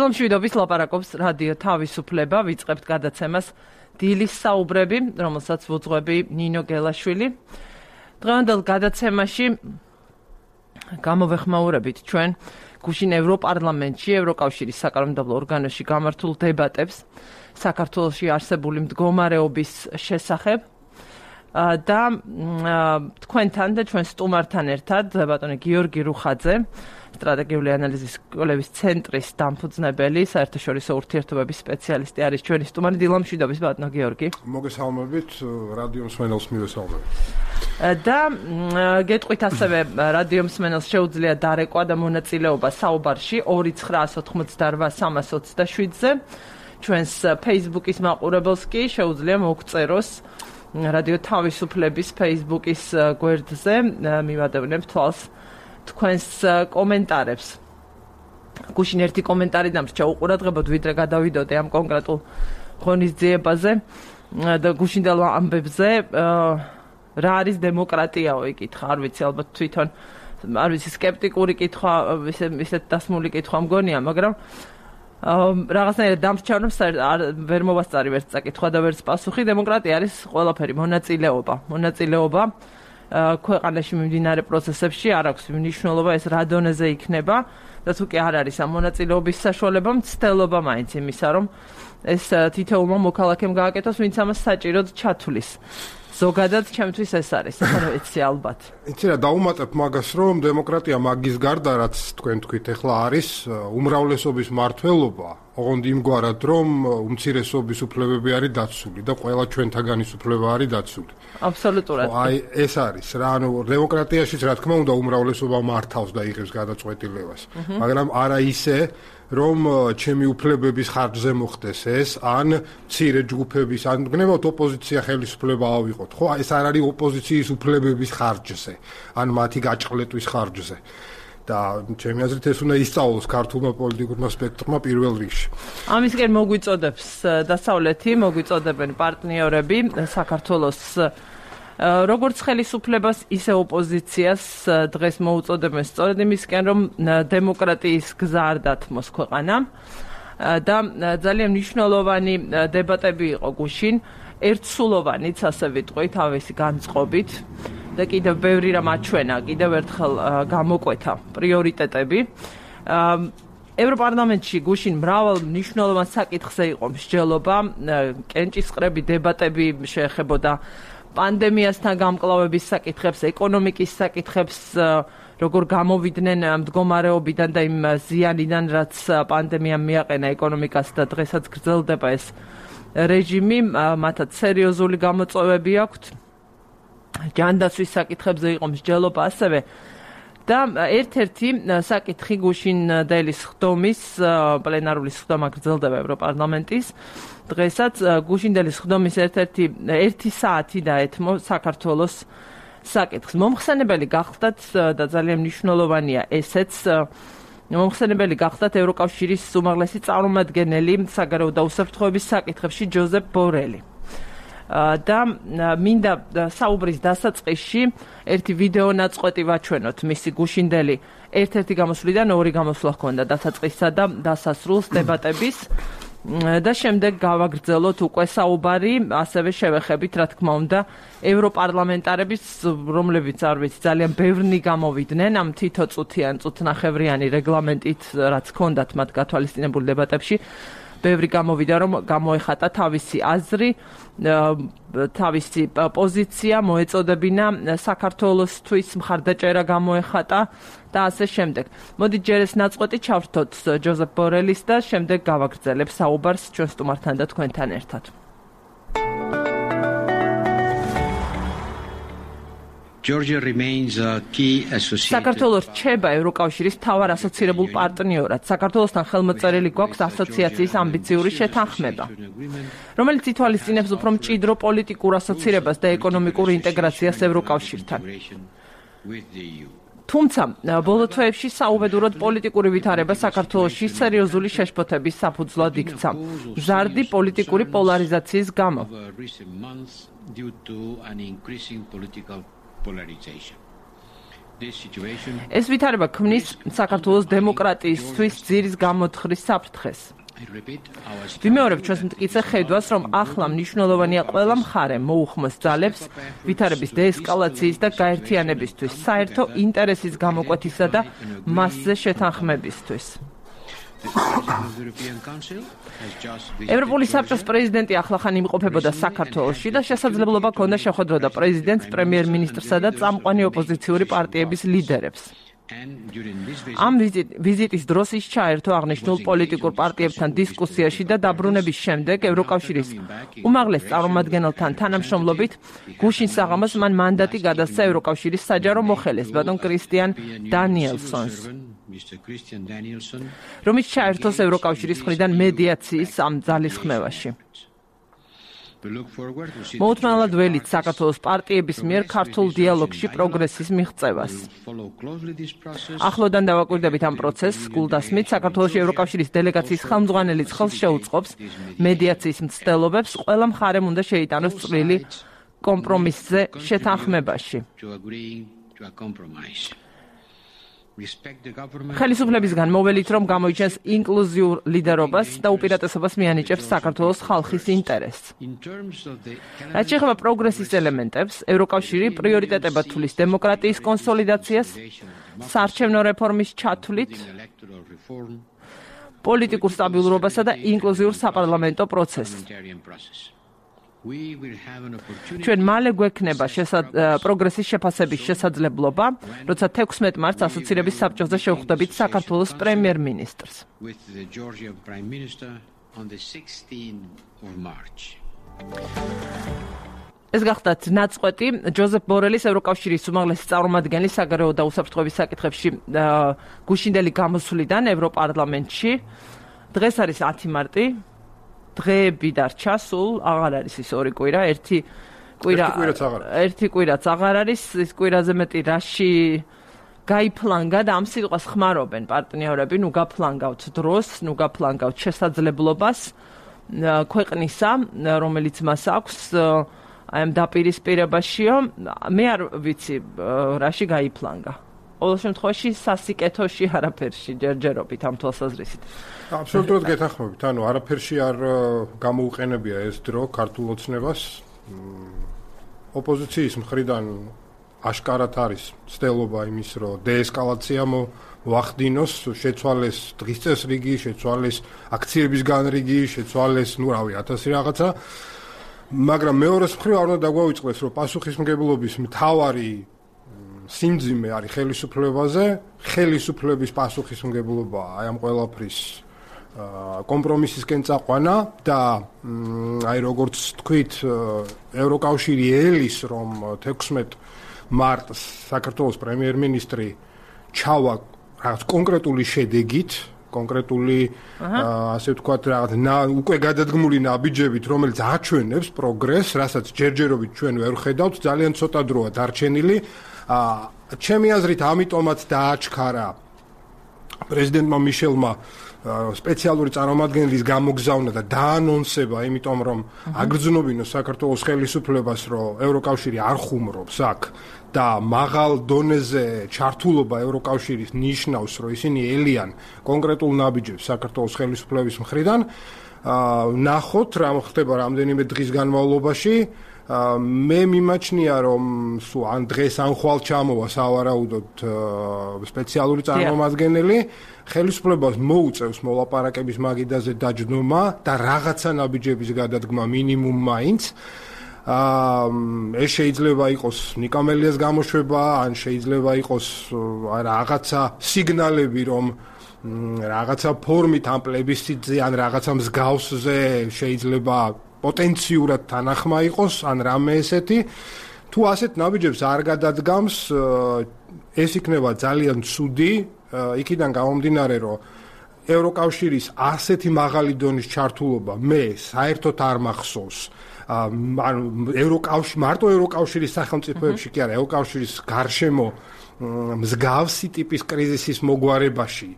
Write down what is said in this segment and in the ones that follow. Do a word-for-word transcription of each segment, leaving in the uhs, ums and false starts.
დილომშვიდობის ლაპარაკობს რადიო თავისუფლება, ვიწყებთ გადაცემას დილის საუბრები, რომელსაც ვუძღვები ნინო გელაშვილი. დღევანდელ გადაცემაში გამოვეხმაურებით ჩვენ გუშინ ევროპარლამენტში, ევროკავშირის საკანონმდებლო ორგანოში გამართულ დებატებს საქართველოში არსებული მდგომარეობის შესახებ და თქვენთან და ჩვენ სტუმართან ერთად ბატონი გიორგი რუხაძე, სტრატეგიული ანალიზის სკოლების ცენტრის დამფუძნებელი, საერთაშორისო ურთიერთობების სპეციალისტი არის ჩვენი სტუმარი. დილომშვიდობის ბატონო გიორგი. მოგესალმებით, რადიო მსმენელს მივესალმებით. და გეტყვით ასევე რადიო მსმენელს შეუძლია დარეკვა და მონაწილეობა საუბარში ორი ცხრა ოთხმოცდაოთხ სამას ოცდაშვიდზე. ჩვენს Facebook-ის მაყურებელს კი შეუძლია მოგწეროს რადიო თავისუფლების Facebook-ის გვერდზე, მივადევნებ თვალს თქვენს კომენტარებს. გუშინ ერთი კომენტარი დამრჩა უყურადღებოდ, ვიდრე გადავიდოდე ამ კონკრეტულ ღონისძიებაზე და გუშინდელ ამბებზე, რა არის დემოკრატიაო იკითხა, არ ვიცი, ალბათ თვითონ არ ვიცი, სკეპტიკური კითხვა, ისეთ დასმული კითხვა მგონია, მაგრამ რაღაცნაირად დამრჩა, რომ ვერ მოვასწარი ვერც წაკითხვა და ვერც პასუხი. დემოკრატია არის ყველაფერი, მონაწილეობა, მონაწილეობა ქვეყანაში მიმდინარე პროცესებში არ აქვს მნიშვნელობა ეს რა დონეზე იქნება და თუ კი არ არის ამ მონაწილეობის საშუალება, მცდელობა მაინც იმისა, რომ ეს თითოეულმა მოქალაქემ გააკეთოს, ვინც ამას საჭიროდ ჩათვლის. ზოგადად ჩემთვის ეს არის, ახლა ვიცი ალბათ. იცი რა, დაუმატებ მაგას, რომ დემოკრატია მაგის გარდა, რაც თქვენ თქვით, ახლა არის უმრავლესობის მმართველობა, ოღონდ იმგვარად, რომ უმცირესობის უფლებები არის დაცული და ყველა ჩვენთაგანის უფლება არის დაცული. აბსოლუტურად. აი ეს არის რა, ანუ დემოკრატიაშიც რა თქმა უნდა უმრავლესობა მართავს და იღებს გადაწყვეტილებას, მაგრამ არა ისე, რომ ჩემი უფლებების ხარჯზე მოხდეს ეს, ან მცირე ჯგუფების, ან გნებავთ ოპოზიცია ხელისუფლება ავიღოთ, ხო? ეს არ არის ოპოზიციის უფლებების ხარჯზე, ან მათი გაჭყლეტვის ხარჯზე. და ჩემი აზრით ეს უნდა ისწავლოს ქართულმა პოლიტიკურმა სპექტრმა პირველ რიგში. ამისკენ მოგვიწოდებს დასავლეთი, მოგვიწოდებენ პარტნიორები საქართველოს როგორც ხელისუფლებას, ისე ოპოზიციას დღეს მოუწოდებენ სწორედ იმისკენ, რომ დემოკრატიის გზა არ დათმოს ქვეყანა და ძალიან მნიშვნელოვანი დებატები იყო გუშინ, ერთსულოვანიც, ასე ვიტყვით, თავისი განწყობით და კიდევ ბევრი რამ აჩვენა, კიდევ ერთხელ გამოკვეთა პრიორიტეტები. ევროპარლამენტში გუშინ მრავალ მნიშვნელოვან საკითხზე იყო მსჯელობა, კენჭისყრები დებატები შეეხებოდა პანდემიასთან გამკლავების საკითხებს, ეკონომიკის საკითხებს, როგორ გამოვიდნენ მდგომარეობიდან და იმ ზიანიდან, რაც პანდემიამ მიაყენა ეკონომიკას და დღესაც გრძელდება ეს რეჟიმი, მათაც სერიოზული გამოწვევები აქვთ. ჯანდაცვის საკითხებზე იყო მსჯელობა ასევე და ერთ-ერთი საკითხი გუშინდელი სხდომის, პლენარული სხდომა გრძელდება ევროპარლამენტის. დღესაც გუშინდელი სხდომის ერთ-ერთი ერთი საათი დაეთმო საქართველოს საკითხს. მომხსენებელი გახდათ და ძალიან მნიშვნელოვანია ესეც, მომხსენებელი გახდათ ევროკავშირის უმაღლესი წარმომადგენელი საგარეო და უსაფრთხოების საკითხებში ჯოზეფ ბორელი. და მინდა საუბრის დასაწყისში ერთი ვიდეო ნაწყვეტი ვაჩვენოთ მისი გუშინდელი ერთ-ერთი გამოსვლიდან ორი გამოსვლა ჰქონდა დასაწყისსა და დასასრულს დებატების და შემდეგ გავაგრძელოთ უკვე საუბარი, ასევე შევეხებით, რა თქმა უნდა, ევროპარლამენტარების, რომლებიც არ ვიცი, ძალიან ბევრი გამოვიდნენ ამ თითოწუთიან, წუთნახევრიანი რეგლამენტით, რაც ჰქონდათ მათ გათვალისწინებული დებატებში. ბევრი გამოვიდა, რომ გამოეხატა თავისი აზრი, თავისი პოზიცია, მოეწოდებინა საქართველოსთვის მხარდაჭერა გამოეხატა და ასე შემდეგ. მოდით ჯერ ეს ნაწყვეტი ჩავრთოთ ჯოზეფ ბორელის და შემდეგ გავაგრძელებ საუბარს ჩვენ სტუმართან და თქვენთან ერთად. საქართველოს რჩება ევროკავშირის მთავარ ასოცირებულ პარტნიორად. საქართველოსთან ხელმოწერილი გვაქვს ასოციაციის ამბიციური შეთანხმება, რომელიც ითვალისწინებს უფრო მჭიდრო პოლიტიკურ ასოცირებას და ეკონომიკურ ინტეგრაციას ევროკავშირთან. თუმცა ბოლო თვეებში საუბედუროდ პოლიტიკური ვითარება საქართველოში სერიოზული შეშფოთების საფუძვლად იქცა, მზარდი პოლიტიკური პოლარიზაციის გამო. ეს ვითარება ქმნის საქართველოს დემოკრატიისთვის ძირის გამოთხრის საფრთხეს. ვიმეორებ ჩვენს მტკიცე ხედვას, რომ ახლა მნიშვნელოვანია ყველა მხარე მოუხმოს ძალებს ვითარების დეესკალაციის და გაერთიანებისთვის, საერთო ინტერესის გამოკვეთისა და მასზე შეთანხმებისთვის. ევროპული საბჭოს პრეზიდენტი ახლახან იმყოფებოდა საქართველოში და შესაძლებლობა ჰქონდა შეხვედროდა პრეზიდენტს, პრემიერ-მინისტრსა და წამყვანი ოპოზიციური პარტიების ლიდერებს. ამ ვიზიტის დროს ის ჩაერთო აღნიშნულ პოლიტიკურ პარტიებთან დისკუსიაში და დაბრუნების შემდეგ ევროკავშირის უმაღლეს წარმომადგენელთან თანამშრომლობით გუშინ საღამოს მან მანდატი გადასცა ევროკავშირის საჯარო მოხელეს ბატონ კრისტიან დანიელსონს, რომელიც ჩაერთოს ევროკავშირის მხრიდან მედიაციის ამ ძალისხმევაში. მოუთმენლად ველით საქართველოს პარტიების მიერ ქართულ დიალოგში პროგრესის მიღწევას. ახლოდან დავაკვირდებით ამ პროცესს, გულდასმით საქართველოში ევროკავშირის დელეგაციის ხელმძღვანელის ხელს შეუწყობს მედიაციის მცდელობებს, ყველა მხარემ უნდა შეიტანოს წვლილი კომპრომისზე შეთანხმებაში. ხელისუფლებისგან მოველით, რომ გამოიჩენს ინკლუზიურ ლიდერობას და უპირატესობას მიანიჭებს საქართველოს ხალხის ინტერესს. რაც შეეხება პროგრესის ელემენტებს, ევროკავშირი პრიორიტეტებად თulis დემოკრატიის კონსოლიდაციას, საარჩევნო რეფორმის ჩათვლით, პოლიტიკურ სტაბილურობასა და ინკლუზიურ საპარლამენტო პროცესს. ჩვენ მალე გვექნება პროგრესის შეფასების შესაძლებლობა, როცა თექვსმეტ მარტს ასოცირების საბჭოზე შევხვდებით საქართველოს პრემიერ-მინისტრს. ეს გახდათ ნაწყვეტი ჯოზეფ ბორელის ევროკავშირის უმაღლესი წარმომადგენლის საგარეო და უსაფრთხოების საკითხებში გუშინდელი გამოსვლიდან ევროპარლამენტში. დღეს არის ათი მარტი. დღეები დარჩა, სულ აღარ არის ის ორი კვირა, ერთი კვირა ერთი კვირაც აღარ არის, ის კვირაზე მეტი რაში გაიფლანგა და ამ სიტყვას ხმარობენ პარტნიორები, ნუ გაფლანგავთ დროს, ნუ გაფლანგავთ შესაძლებლობას ქვეყნისა, რომელიც მას აქვს აი ამ დაპირისპირებაშიო, მე არ ვიცი რაში გაიფლანგა. ყოველ შემთხვევაში სასიკეთოში არაფერში ჯერჯერობით ამ თვალსაზრისით. აბსოლუტურად გეთანხმებით, ანუ არაფერში არ გამოუყენებია ეს დრო ქართულ ოცნებას. ოპოზიციის მხრიდან აშკარად არის ცდელობა იმის, რომ დეესკალაცია მოახდინოს, შეცვალეს დღის წესრიგი, შეცვალეს აქციების განრიგი, შეცვალეს, ნუ რავი, ათასი რაღაცა. მაგრამ მეორეს მხრივ არ უნდა დაგვაუწყდეს, რომ პასუხისმგებლობის მთავარი სიმძიმე არის ხელისუფლებაზე, ხელისუფლების პასუხისმგებლობა აი ამ ყველაფრის კომპრომისისკენ წაყვანა და აი როგორც თქვით, ევროკავშირი ელის, რომ თექვსმეტ მარტს საქართველოს პრემიერ-მინისტრი ჩავა რაღაც კონკრეტული შედეგით, კონკრეტული ასე ვთქვათ, რაღაც უკვე გადადგმული ნაბიჯებით, რომელიც აჩვენებს პროგრესს, რასაც ჯერჯერობით ჩვენ ვერ ხედავთ, ძალიან ცოტა დროა დარჩენილი. ჩემი აზრით, ამიტომაც დააჩქარა პრეზიდენტმა მიშელმა სპეციალური წარმომადგენლის გამოგზავნა და დაანონსება, იმიტომ რომ აგრძნობინოს საქართველოს ხელისუფლებას, რომ ევროკავშირი არ ხუმრობს აქ და მაღალ დონეზე ჩართულობა ევროკავშირის ნიშნავს, რომ ისინი ელიან კონკრეტულ ნაბიჯებს საქართველოს ხელისუფლების მხრიდან. ნახოთ, რა ხდება რამდენიმე დღის განმავლობაში. მე მიმაჩნია, რომ სულ ან დღეს ან ხვალ ჩამოვა სავარაუდოდ სპეციალური წარმომადგენელი, ხელისუფლებას მოუწევს მოლაპარაკების მაგიდაზე დაჯდომა და რაღაცა ნაბიჯების გადადგმა მინიმუმ მაინც. ეს შეიძლება იყოს ნიკამელიას გამოშვება, ან შეიძლება იყოს რაღაცა სიგნალები, რომ რაღაცა ფორმით ამ პლებისციტზე ან რაღაცა მსგავსზე შეიძლება პოტენციურად თანახმა იყოს, ან რამე ესეთი. თუ ასეთ ნაბიჯებს არ გადადგამს, ეს იქნება ძალიან ცუდი, იქიდან გამომდინარე, რომ ევროკავშირის ასეთი მაღალი დონის ჩართულობა მე საერთოდ არ მახსოვს. ანუ ევროკავშირი, მარტო ევროკავშირის სახელმწიფოებში კი არა, ევროკავშირის გარშემო მსგავსი ტიპის კრიზისის მოგვარებაში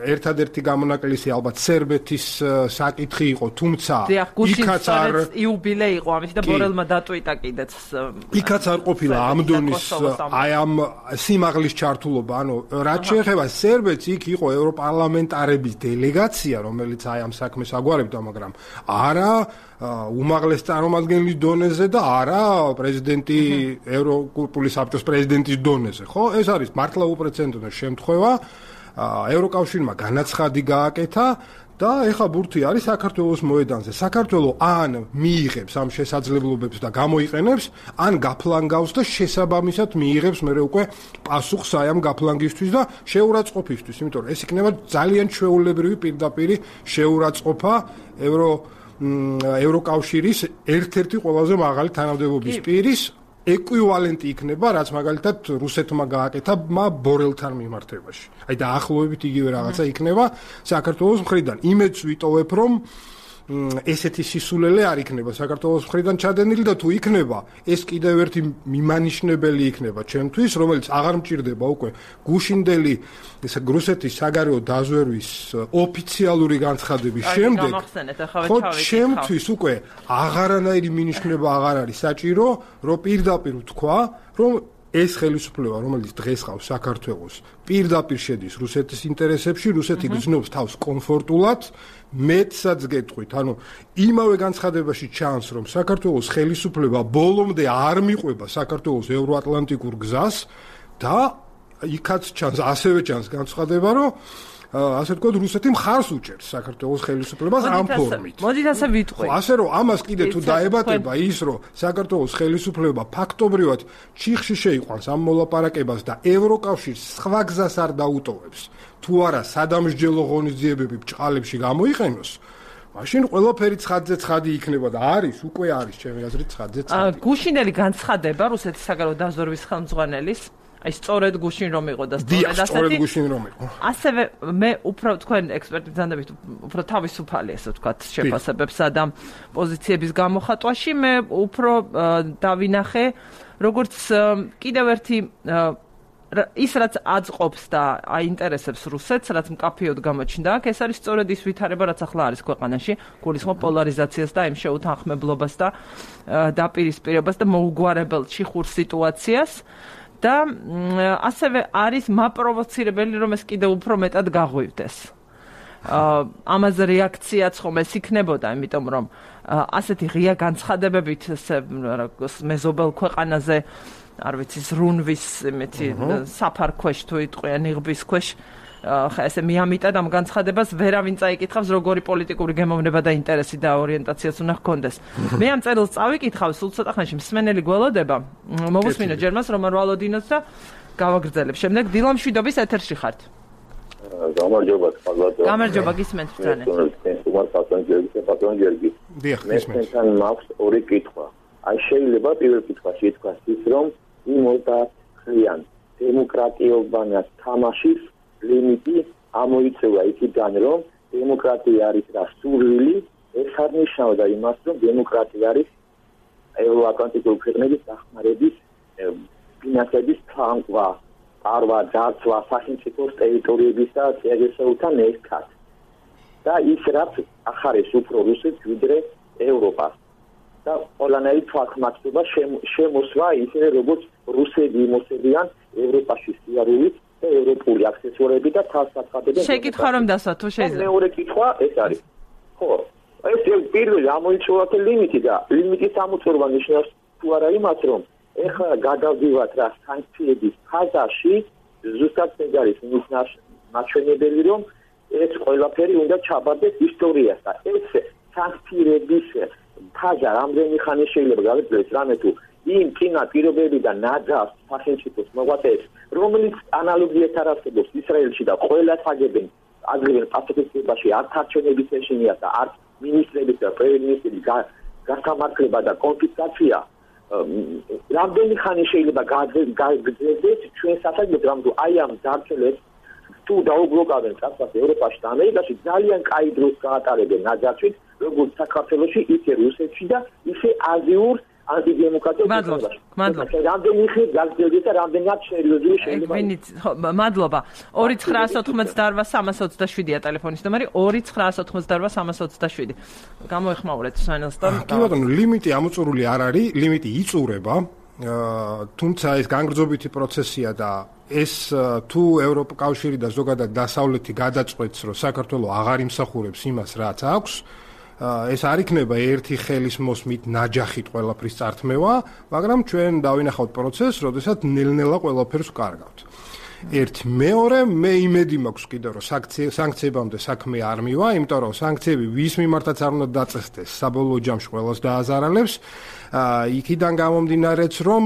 ერთადერთი გამონაკლისი ალბათ სერბეთის საკითხი იყო, თუმცა იქაც არ იუბილე იყო ამის და ბორელმა დატვიტა კიდეც. იქაც არ ყოფილა ამ დონის აი ამ სიმაღლის ჩართულობა, ანუ რაც შეეხება სერბეთს, იქ იყო ევროპარლამენტარების დელეგაცია, რომელიც აი ამ საქმეს აგვარებდა, მაგრამ არა უმაღლეს წარმომადგენლის დონეზე და არა პრეზიდენტი ევროკავშირის საბჭოს პრეზიდენტის დონეზე, ხო? ეს არის მართლა უპრეცედენტო შემთხვევა. ევროკავშირმა განაცხადი გააკეთა და ეხა ბურთი არის საქართველოს მოედანზე. საქართველო ან მიიღებს ამ შესაძლებლობებს და გამოიყენებს, ან გაფლანგავს და შესაბამისად მიიღებს მერე უკვე პასუხს აი ამ გაფლანგისთვის და შეურაცხყოფისთვის, იმიტომ რომ ეს იქნება ძალიან ჩვეულებრივი პირდაპირი შეურაცხყოფა ევრო ევროკავშირის ერთ-ერთი ყველაზე მაღალი თანამდებობის პირის ეკვივალენტი იქნება, რაც მაგალითად რუსეთმა გააკეთა ბორელთან მიმართებაში. აი და ახლოვებით იგივე რაღაცა იქნება საქართველოს მხრიდან. იმედს ვიტოვებ, რომ ესეთი სისულელე არ იქნება საქართველოს მხრიდან ჩადენილი და თუ იქნება, ეს კიდევ ერთი მიმანიშნებელი იქნება ჩემთვის, რომელიც აღარ მჭირდება უკვე გუშინდელი რუსეთის საგარეო დაზვერვის ოფიციალური განცხადების შემდეგ. ხო, ჩემთვის უკვე აღარანაირი მინიშნება აღარ არის საჭირო, რომ პირდაპირ ვთქვა, რომ ეს ხელისუფლება, რომელიც დღეს ყავს საქართველოს, პირდაპირ შედის რუსეთის ინტერესებში, რუსეთი გრძნობს თავს კომფორტულად, მეტსაც გეტყვით, ანუ იმავე განცხადებაში ჩანს, რომ საქართველოს ხელისუფლება ბოლომდე არ მიყვება საქართველოს ევროატლანტიკურ გზას და იქაც ჩანს, ასევე ჩანს განცხადება, რომ ასე ვთქვათ, რუსეთი მხარს უჭერს საქართველოს ხელისუფლებას ამ ფორმით. მოდით ასე ვიტყვი. ასე რომ ამას კიდე თუ დაებატება ის, რომ საქართველოს ხელისუფლება ფაქტობრივად ჩიხში შეიყვანს ამ მოლაპარაკებას და ევროკავშირს სხვა გზას არ დაუტოვებს, თუ არა სადამსჯელო ღონისძიებები ბჭყალებში გამოიყენოს, მაშინ ყველაფერი ცხადზე ცხადი იქნება და არის, უკვე არის ჩემი აზრით ცხადზე ცხადი. გუშინელი განცხადება რუსეთის საგარეო დაზვერვის ხელმძღვანელის აი სწორედ გუშინ რომ იყო და სწორედ ასეთი სწორედ გუშინ რომ იყო. ასევე მე უფრო თქვენ ექსპერტები ძანდებით უფრო თავისუფალი ესე ვთქვათ შეფასებებსა და პოზიციების გამოხატვაში მე უფრო დავინახე როგორც კიდევ ერთი ის რაც აწყობს და აინტერესებს რუსეთს, რაც მკაფიოდ გამოჩნდა აქ, ეს არის სწორედ ის ვითარება, რაც ახლა არის ქვეყანაში, გულისხმობ პოლარიზაციას და იმ შეუთანხმებლობას და დაპირისპირებას და მოუგვარებელ ჩიხურ სიტუაციას. და ასევე არის მაპროვოცირებელი, რომ ეს კიდევ უფრო მეტად გაღვივდეს. ამაზე რეაქციაც ხომ ეს იქნებოდა, იმიტომ რომ ასეთი ღია განცხადებებით მეზობელ ქვეყანაზე, არ ვიცი, ზრუნვის იმეთი საფარქვეშ თუ იტყვიან იღბის ქვეშ ხა ესე მიამიტად ამ განცხადებას ვერავინ წაიკითხავს როგორი პოლიტიკური გემოვნება და ინტერესი და ორიენტაციაც უნდა ჰქონდეს. მე ამ წერილს წავიკითხავ, სულ ცოტა ხანში მსმენელი გველოდება, მოვუსმინო ჯერ მას რომან ვალოდინოს და გავაგრძელებ. შემდეგ დილა მშვიდობის ეთერში ხართ. გამარჯობა, ხალხო. გამარჯობა, გისმენთ ბრალე. თუმცა პასანჯერები, პასანჯერები. დიახ, მე თან მაქვს ორი კითხვა. აი შეიძლება პირველ კითხვაში ითქვას ის, რომ იმ ოცდაათიან დემოკრატიობანას თამაშის ლიმიტი ამოიწევა იქიდან, რომ დემოკრატია არის რა სურვილი, ეს არ ნიშნავდა იმას, რომ დემოკრატია არის ევროატლანტიკური ქვეყნების დახმარების ფინანსების თანხვა, არვა დაცვა სახელმწიფოს ტერიტორიების და წესებთან ერთად. და ის რაც ახარეს უფრო რუსეთს ვიდრე ევროპას. და ყველანაირი თვალხმაცება შემოსვა ისე როგორც რუსები იმოსებიან ევროპაში სიარულით და ევროპული აქსესუარები და თვალსაჩინო. შეკითხვა რომ დასვა თუ შეიძლება. მეორე კითხვა ეს არის. ხო, ეს პირველი ამოიწურათ ლიმიტი და ლიმიტის ამოწურვა ნიშნავს თუ არა იმას, რომ ეხლა გადავდივართ რა სანქციების ფაზაში, ზუსტად ეს არის მაჩვენებელი, რომ ეს ყველაფერი უნდა ჩაბარდეს ისტორიას და ეს სანქციების ფაზა რამდენი ხანი შეიძლება გავიძლეს რამე თუ იმ წინა პირობები და ნაძავს სახელმწიფოს მოღვაწეებს, რომელიც ანალოგიას არ არსებობს ისრაელში და ყველა თაგებენ აგრეთვე პასუხისმგებლობაში არც არჩევნების ეშინია და არც მინისტრების და პრემიერ-მინისტრის გასამართლება და კონფისკაცია. რამდენი ხანი შეიძლება გაგრძელდეს ჩვენ სასაგებად, რომ აი ამ დარჩენებს თუ დაუბლოკავენ წასვლას ევროპაში და ამერიკაში ძალიან კაი დროს გაატარებენ ნაძავით, როგორც საქართველოში, ისე რუსეთში და ისე აზიურ ანტიდემოკრატიულ მადლობა. მადლობა. რამდენი ხნით გაგრძელდეს და რამდენად სერიოზული შეიძლება. ვინიც მადლობა. ორი ცხრაასი ოცდაოთხმოცდაოთხ სამას ოცდაშვიდია ტელეფონის ნომერი ორი ცხრაასი ოცდაოთხმოცდაოთხ სამას ოცდაშვიდი. გამოეხმაურეთ სვენელსთან. კი ბატონო, ლიმიტი ამოწურული არ არის, ლიმიტი იწურება. თუმცა ეს განგრძობითი პროცესია და ეს თუ ევროკავშირი და ზოგადად დასავლეთი გადაწყვეტს, რომ საქართველოს აღარ იმსახურებს იმას, რაც აქვს, ეს არ იქნება ერთი ხელის მოსმით ნაჯახით ყველაფრის წართმევა, მაგრამ ჩვენ დავინახავთ პროცესს, როდესაც ნელ-ნელა ყველაფერს ვკარგავთ. ერთ მეორე მე იმედი მაქვს კიდევ რომ სანქციებამდე საქმე არ მივა, იმიტომ რომ სანქციები ვის მიმართაც არ უნდა დაწესდეს, საბოლოო ჯამში ყველას დააზარალებს. იქიდან გამომდინარეც რომ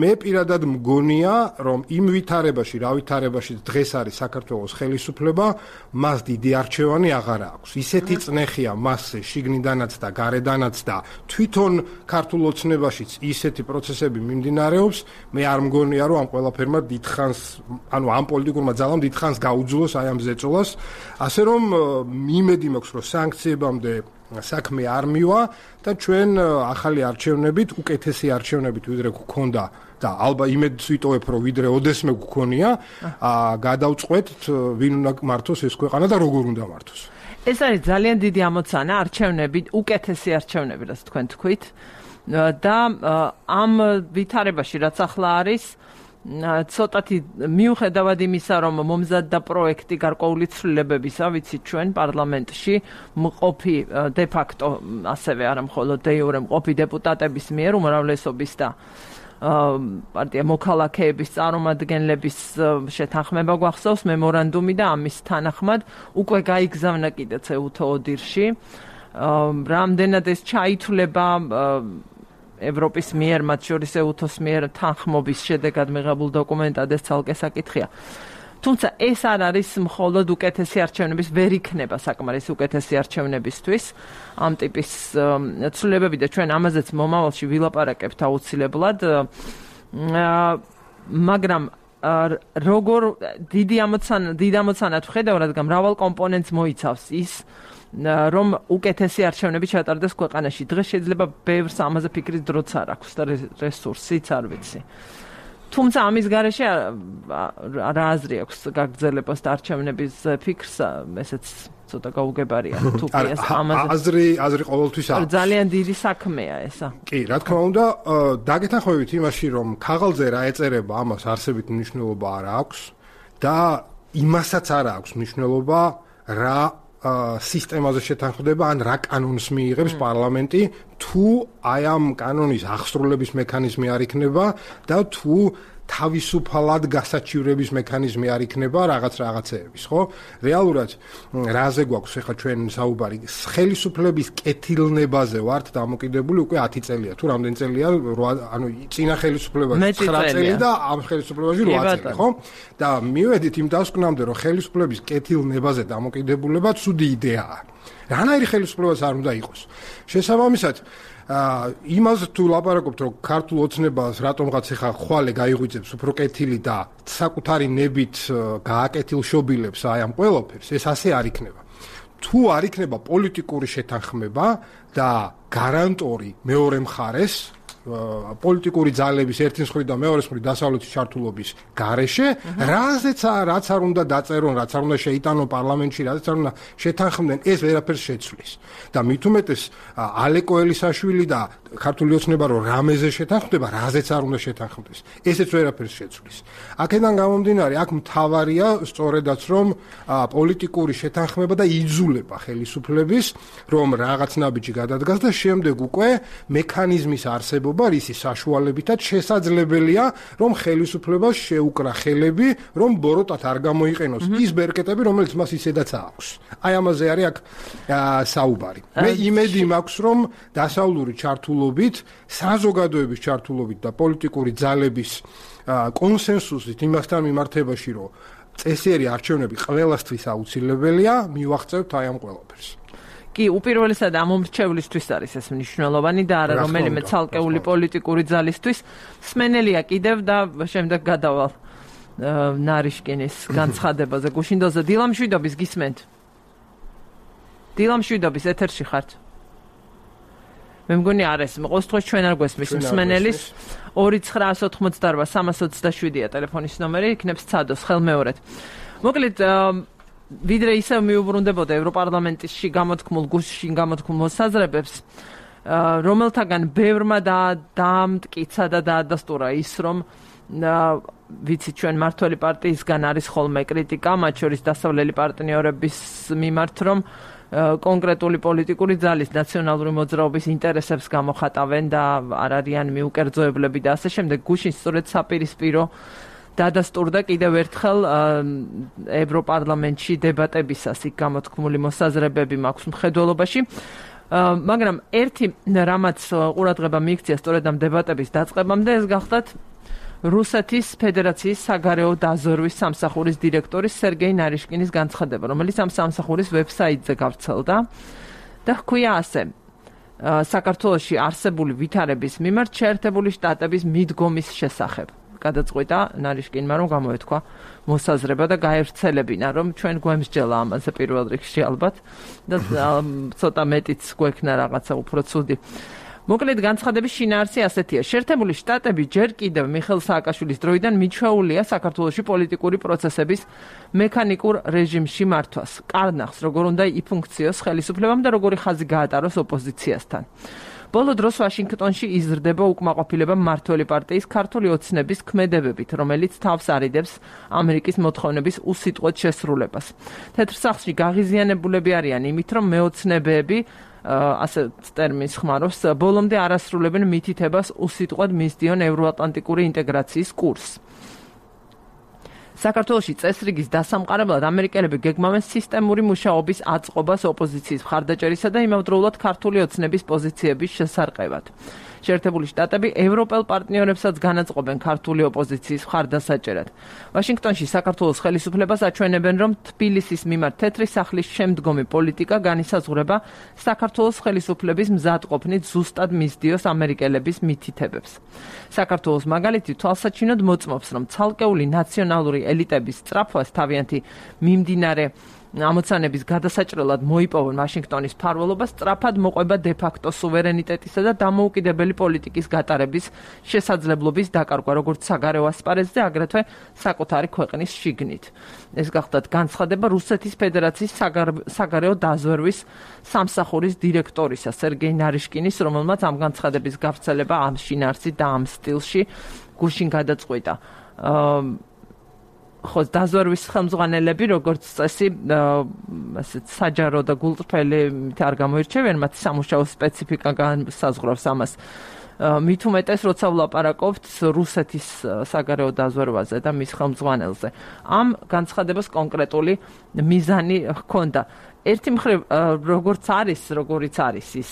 მე პირადად მგონია რომ იმ ვითარებაში, რა ვითარებაში დღეს არის საქართველოს ხელისუფლება, მას დიდი არჩევანი აღარ აქვს. ისეთი წნეხია მასზე შიგნიდანაც და გარედანაც და თვითონ ქართულ ოცნებაშიც ისეთი პროცესები მიმდინარეობს, მე არ მგონია რომ ამ ყველაფერმა დიდხანს, ანუ ამ პოლიტიკურმა ძალამ დიდხანს გაუძლოს აი ამ ზეწოლას, ასე რომ იმედი მაქვს რომ სანქციებამდე საქმე არ მივა და ჩვენ ახალი არჩევნებით, უკეთესი არჩევნებით ვიდრე გქონდა და ალბათ იმედს ვიტოვებ რომ ვიდრე ოდესმე გქონია, გადავწყვეტთ ვინ უნდა მართოს ეს ქვეყანა და როგორ უნდა მართოს. ეს არის ძალიან დიდი ამოცანა არჩევნებით, უკეთესი არჩევნები, რაც თქვენ თქვით და ამ ვითარებაში რაც ახლა არის ცოტათი მიუხედავად იმისა, რომ მომზადდა პროექტი გარკვეული ცვლილებებისა, ვიცით ჩვენ პარლამენტში მყოფი დე ფაქტო, ასევე არა მხოლოდ დე იურე მყოფი დეპუტატების მიერ უმრავლესობის და პარტია მოქალაქეების წარმომადგენლების შეთანხმება გვახსოვს მემორანდუმი და ამის თანახმად უკვე გაიგზავნა კიდეც ეუთო ოდირში. რამდენად ეს ჩაითვლება ევროპის მიერ, მათ შორის ეუთოს მიერ თანხმობის შედეგად მიღებულ დოკუმენტად ეს ცალკე საკითხია. თუმცა ეს არ არის მხოლოდ უკეთესი არჩევნების, ვერ იქნება საკმარისი უკეთესი არჩევნებისთვის ამ ტიპის ცვლილებები და ჩვენ ამაზეც მომავალში ვილაპარაკებთ აუცილებლად. მაგრამ როგორ დიდი ამოცანა, დიდ ამოცანად ვხედავ, რადგან მრავალ კომპონენტს მოიცავს ის, რომ უკეთესი არჩევნები ჩატარდეს ქვეყანაში. დღეს შეიძლება ბევრს ამაზე ფიქრის დროც არ აქვს და რესურსიც არ ვიცი. თუმცა ამის გარეშე რა აზრი აქვს გაგრძელებას და არჩევნების ფიქრს, ესეც ცოტა გაუგებარია თუ კი ეს ამაზე. აზრი, აზრი ყოველთვის აქვს. ძალიან დიდი საქმეა ესა. კი, რა თქმა უნდა, დაგეთანხმებით იმაში, რომ ქაღალდზე რა ეწერება, ამას არსებით მნიშვნელობა არ აქვს და იმასაც არ აქვს მნიშვნელობა, რა სისტემაზე შეთანხმდება ან რა კანონს მიიღებს პარლამენტი, თუ აი ამ კანონის აღსრულების მექანიზმი არ იქნება და თუ თავისუფალად გასაჩივრების მექანიზმი არ იქნება რაღაც რაღაცეების, ხო? რეალურად რაზე გვაქვს ახლა ჩვენ საუბარი? ხელისუფლების კეთილნებაზე ვართ დამოკიდებული უკვე ათი წელია. თუ რამდენი წელია? ანუ წინა ხელისუფლებაში ცხრა წელი და ამ ხელისუფლებაში რვა წელი, ხო? და მივედით იმ დასკვნამდე, რომ ხელისუფლების კეთილნებაზე დამოკიდებულება ცუდი იდეაა. რანაირი ხელისუფლებას არ უნდა იყოს. შესაბამისად, იმას თუ ლაპარაკობთ, რომ ქართულ ოცნებას რატომღაც ახლა ხვალე გაიღვიძებს უფრო კეთილი და საკუთარი ნებით გააკეთილშობილებს აი ამ ყველაფერს, ეს ასე არ იქნება. თუ არ იქნება პოლიტიკური შეთანხმება და გარანტორი მეორე მხარეს, პოლიტიკური ძალების ერთი მხრივ და მეორე მხრივ დასავლეთის ჩართულობის გარეშე, რაზეც რაც არ უნდა დაწერონ, რაც არ უნდა შეიტანონ პარლამენტში, რაზეც არ უნდა შეთანხმდნენ, ეს ვერაფერს შეცვლის. და მით უმეტეს ალეკო ელისაშვილი და ქართული ოცნება რომ რამეზე შეთანხმდება, რაზეც არ უნდა შეთანხმდეს. ესეც ვერაფერს შეცვლის. აქედან გამომდინარე, აქ მთავარია სწორედაც რომ პოლიტიკური შეთანხმება და იძულება ხელისუფლების, რომ რაღაც ნაბიჯი გადადგას და შემდეგ უკვე მექანიზმის არსებობა რისი საშუალებითაც შესაძლებელია, რომ ხელისუფლებას შეუკრა ხელები, რომ ბოროტად არ გამოიყენოს ის ბერკეტები, რომელიც მას ისედაც აქვს. აი ამაზე არის აქ საუბარი. მე იმედი მაქვს, რომ დასავლური ჩართულობით, საზოგადოების ჩართულობით და პოლიტიკური ძალების კონსენსუსით იმასთან მიმართებაში, რომ წესიერი არჩევნები ყველასთვის აუცილებელია, მივახცევთ აი ამ ყველაფერს. კი, უპირველესად ამ მომრჩევლისთვის არის ეს მნიშვნელოვანი და არა რომელიმე ცალკეული პოლიტიკური ძალისთვის. სმენელია კიდევ და შემდეგ გადავალ ნარიშკინის განცხადებაზე. გუშინდოზე დილამშვიდობის გისმენთ. დილამშვიდობის ეთერში ხართ. მე მგონი არის, ყოველ დღეს ჩვენ არ გვესმის მსმენელის ორი ცხრაას ოთხმოცდაორვა სამას ოცდაშვიდია ტელეფონის ნომერი, იქნებს ცადოს ხელმეორედ. მოკლედ ვიდრე ისევ მიუბრუნდებოდა ევროპარლამენტში გამოთქმულ გუშინ გამოთქმულ მოსაზრებებს, რომელთაგან ბევრმა დაამტკიცა და დაადასტურა ის, რომ ვიცით ჩვენ მართველი პარტიისგან არის ხოლმე კრიტიკა, მათ შორის დასავლელი პარტნიორების მიმართ, რომ კონკრეტული პოლიტიკური ძალის ნაციონალური მოძრაობის ინტერესებს გამოხატავენ და არ არიან მიუკერძოებლები და ასე შემდეგ. გუშინ სწორედ საპირისპირო დადასტურდა კიდევ ერთხელ ევროპარლამენტში დებატებისას იქ გამოთქმული მოსაზრებები მაქვს მხედველობაში. მაგრამ ერთი რამაც ყურადღება მიიქცია სწორედ ამ დებატების დაწყებამდე, ეს გახდათ რუსეთის ფედერაციის საგარეო დაზვერვის სამსახურის დირექტორის სერგეი ნარიშკინის განცხადება, რომელიც ამ სამსახურის ვებსაიტზე გავრცელდა და ჰქვია ასე: საქართველოში არსებული ვითარების მიმართ შეერთებული შტატების მიდგომის შესახებ. გადაწყვიტა ნარიშკინმა, რომ გამოეთქვა მოსაზრება და გაევრცელებინა, რომ ჩვენ გვემსჯელა ამაზე პირველ რიგში ალბათ და ცოტა მეტიც გვექნა რაღაცა უფრო ცუდი. მოკლედ განცხადების შინაარსი ასეთია: შეერთებული შტატები ჯერ კიდევ მიხეილ სააკაშვილის დროიდან მიჩვეულია საქართველოში პოლიტიკური პროცესების მექანიკურ რეჟიმში მართვას. კარნახს როგორ უნდა იფუნქციოს ხელისუფლებამ და როგორი ხაზი გაატაროს ოპოზიციასთან. ბოლო დროს ვაშინგტონში იზრდება უკმაყოფილება მმართველი პარტიის ქართული ოცნების ქმედებებით, რომელიც თავს არიდებს ამერიკის მოთხოვნების უსიტყვოდ შესრულებას. თეთრ სახლში გაღიზიანებულები არიან იმით, რომ მეოცნებეები ასე ტერმინს ხმარობს, ბოლომდე არასრულებენ მითითებას უსიტყვოდ მისდიონ ევროატლანტიკური ინტეგრაციის კურსს. საქართველოში წესრიგის დასამყარებლად ამერიკელები გეგმავენ სისტემური მუშაობის აწყობას ოპოზიციის მხარდაჭერისა და იმავდროულად ქართული ოცნების პოზიციების შესარყევად. შეერთებული შტატები ევროპელ პარტნიორებსაც განაწყობენ ქართული ოპოზიციის მხარდასაჭერად. ვაშინგტონში საქართველოს ხელისუფლებას აჩვენებენ, რომ თბილისის მიმართ თეთრი სახლის შემდგომი პოლიტიკა განისაზღვრება საქართველოს ხელისუფლების მზადყოფნით ზუსტად მისდიოს ამერიკელების მითითებებს. საქართველოს მაგალითი თვალსაჩინოდ მოწმობს, რომ ცალკეული ნაციონალური ელიტების სწრაფვას თავიანთი მიმდინარე ამოცანების გადასაჭრელად მოიპოვონ ვაშინგტონის მფარველობას, სწრაფად მოყვება დე-ფაქტო სუვერენიტეტისა და დამოუკიდებელი პოლიტიკის გატარების შესაძლებლობის დაკარგვა, როგორც საგარეო ასპარეზზე, აგრეთვე საკუთარი ქვეყნის შიგნით. ეს გახდათ განცხადება რუსეთის ფედერაციის საგარეო დაზვერვის სამსახურის დირექტორისა სერგეი ნარიშკინის, რომელმაც ამ განცხადების გავრცელება ამ შინაარსით და ამ სტილში გუშინ გადაწყვიტა. ხო, დაზვერვის ხელმძღვანელები, როგორც წესი, ასეთ საჯარო და გულწრფელი არ გამოირჩევიან, მათ სამუშაო სპეციფიკა განსაზღვრავს ამას. მით უმეტეს, როცა ვლაპარაკობთ რუსეთის საგარეო დაზვერვაზე და მის ხელმძღვანელზე. ამ განცხადებას კონკრეტული მიზანი ჰქონდა. ერთი მხრივ, როგორც არის, როგორიც არის ის,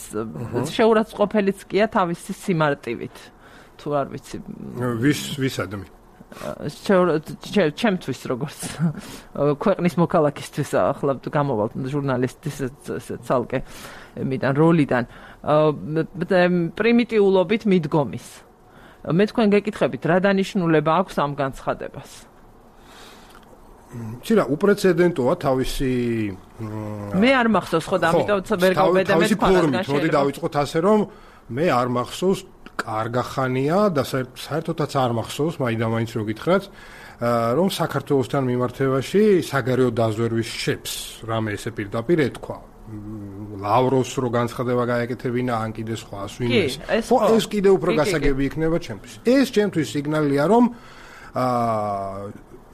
შეურაცხყოფელიც კია თავისი სიმარტივით. თუ არ ვიცი. ვის ვისადმი? ჩემთვის როგორც ქვეყნის მოქალაქისთვის ახლა გამოვალ ჟურნალისტის ცალკე მიდან როლიდან პრიმიტიულობით მიდგომის. მე თქვენ გეკითხებით, რა დანიშნულება აქვს ამ განცხადებას? ცირა უპრეცედენტოა თავისი მე არ მახსოვს ხო და ამიტომ ვერ გავბედე მე ფორმით, მოდი დავიწყოთ ასე, რომ მე არ მახსოვს კარგახანია და საერთოდაც არ მახსოვს, მაინდა-მაინც რო გითხრათ, რომ საქართველოსთან მიმართებაში საგარეო დაზვერვის შეფს რამე ესე პირდაპირ ეთქვა. ლავროს რო განცხადება გაეკეთებინა, ან კიდე სხვა ვინმეს. ხო, ეს კიდე უფრო გასაგები იქნება ჩემთვის. ეს ჩემთვის სიგნალია, რომ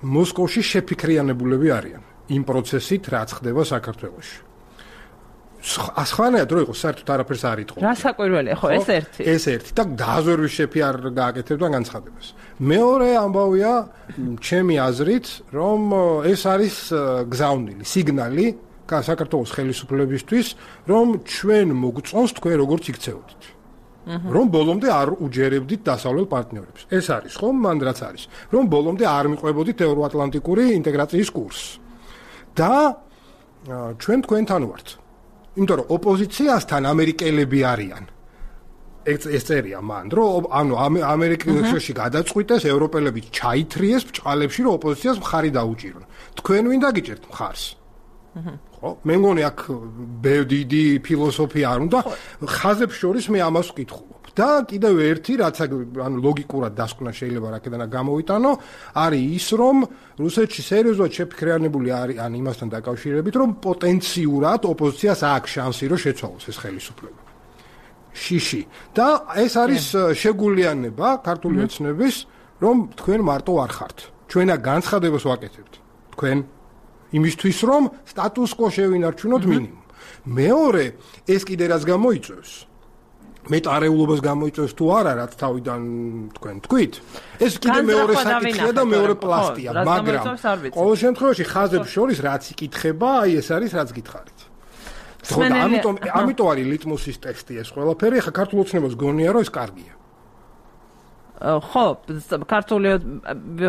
მოსკოვში შეფიქრიანებულები არიან იმ პროცესით, რაც ხდება საქართველოში. ასხანაა, რომ იყოს საერთოდ არაფერს არ იტყო. რა საკვირველია, ხო, ეს ერთი. ეს ერთი და დაზვერვის შეფი არ გააკეთებდა განცხადებას. მეორე ამბავია, ჩემი აზრით, რომ ეს არის გზავნილი, სიგნალი საქართველოს ხელისუფლებისთვის, რომ ჩვენ მოგწონს თქვენ როგორც იქცეოდით. რომ ბოლომდე არ უჯერებდით დასავლელ პარტნიორებს. ეს არის, ხო, მან რაც არის. რომ ბოლომდე არ მიყვებოდით ევროატლანტიკური ინტეგრაციის კურსს. და ჩვენ თქვენთან ვართ. იმიტომ რომ ოპოზიციასთან ამერიკელები არიან. ეს წერია მან, რომ ანუ ამერიკაში გადაწყვიტეს ევროპელები ჩაითრიეს ბჭყალებში, რომ ოპოზიციას მხარი დაუჭირონ. თქვენ ვინ დაგიჭერთ მხარს? ხო? მე მგონი აქ დიდი ფილოსოფია არ უნდა. ხაზებს შორის მე ამას ვკითხულობ. და კიდევ ერთი, რაც ანუ ლოგიკურად დასკვნა შეიძლება რაკედანა გამოვიტანო, არის ის, რომ რუსეთში სერიოზულად შეფიქრიანებული არის ან იმასთან დაკავშირებით, რომ პოტენციურად ოპოზიციას აქვს შანსი, რომ შეცვალოს ეს ხელისუფლება. შიში. და ეს არის შეგულიანება ქართული ოცნების, რომ თქვენ მარტო არ ხართ. ჩვენა განცხადებას ვაკეთებთ. თქვენ იმისთვის, რომ სტატუს კო შევინარჩუნოთ მინიმუმ. მეორე, ეს კიდე რაც გამოიწვევს მეტარეულობას გამოიწვევს თუ არა, რაც თავიდან თქვენ თქვით. ეს კიდე მეორე საკითხია და მეორე პლასტია, მაგრამ ყოველ შემთხვევაში ხაზებს შორის რაც იკითხება, აი ეს არის რაც გითხარით. ხო, ამიტომ ამიტომ არის ლიტმუსის ტექსტი ეს ყველაფერი, ხა ქართულ ოცნებას გონია რომ ეს კარგია. ხო, ქართული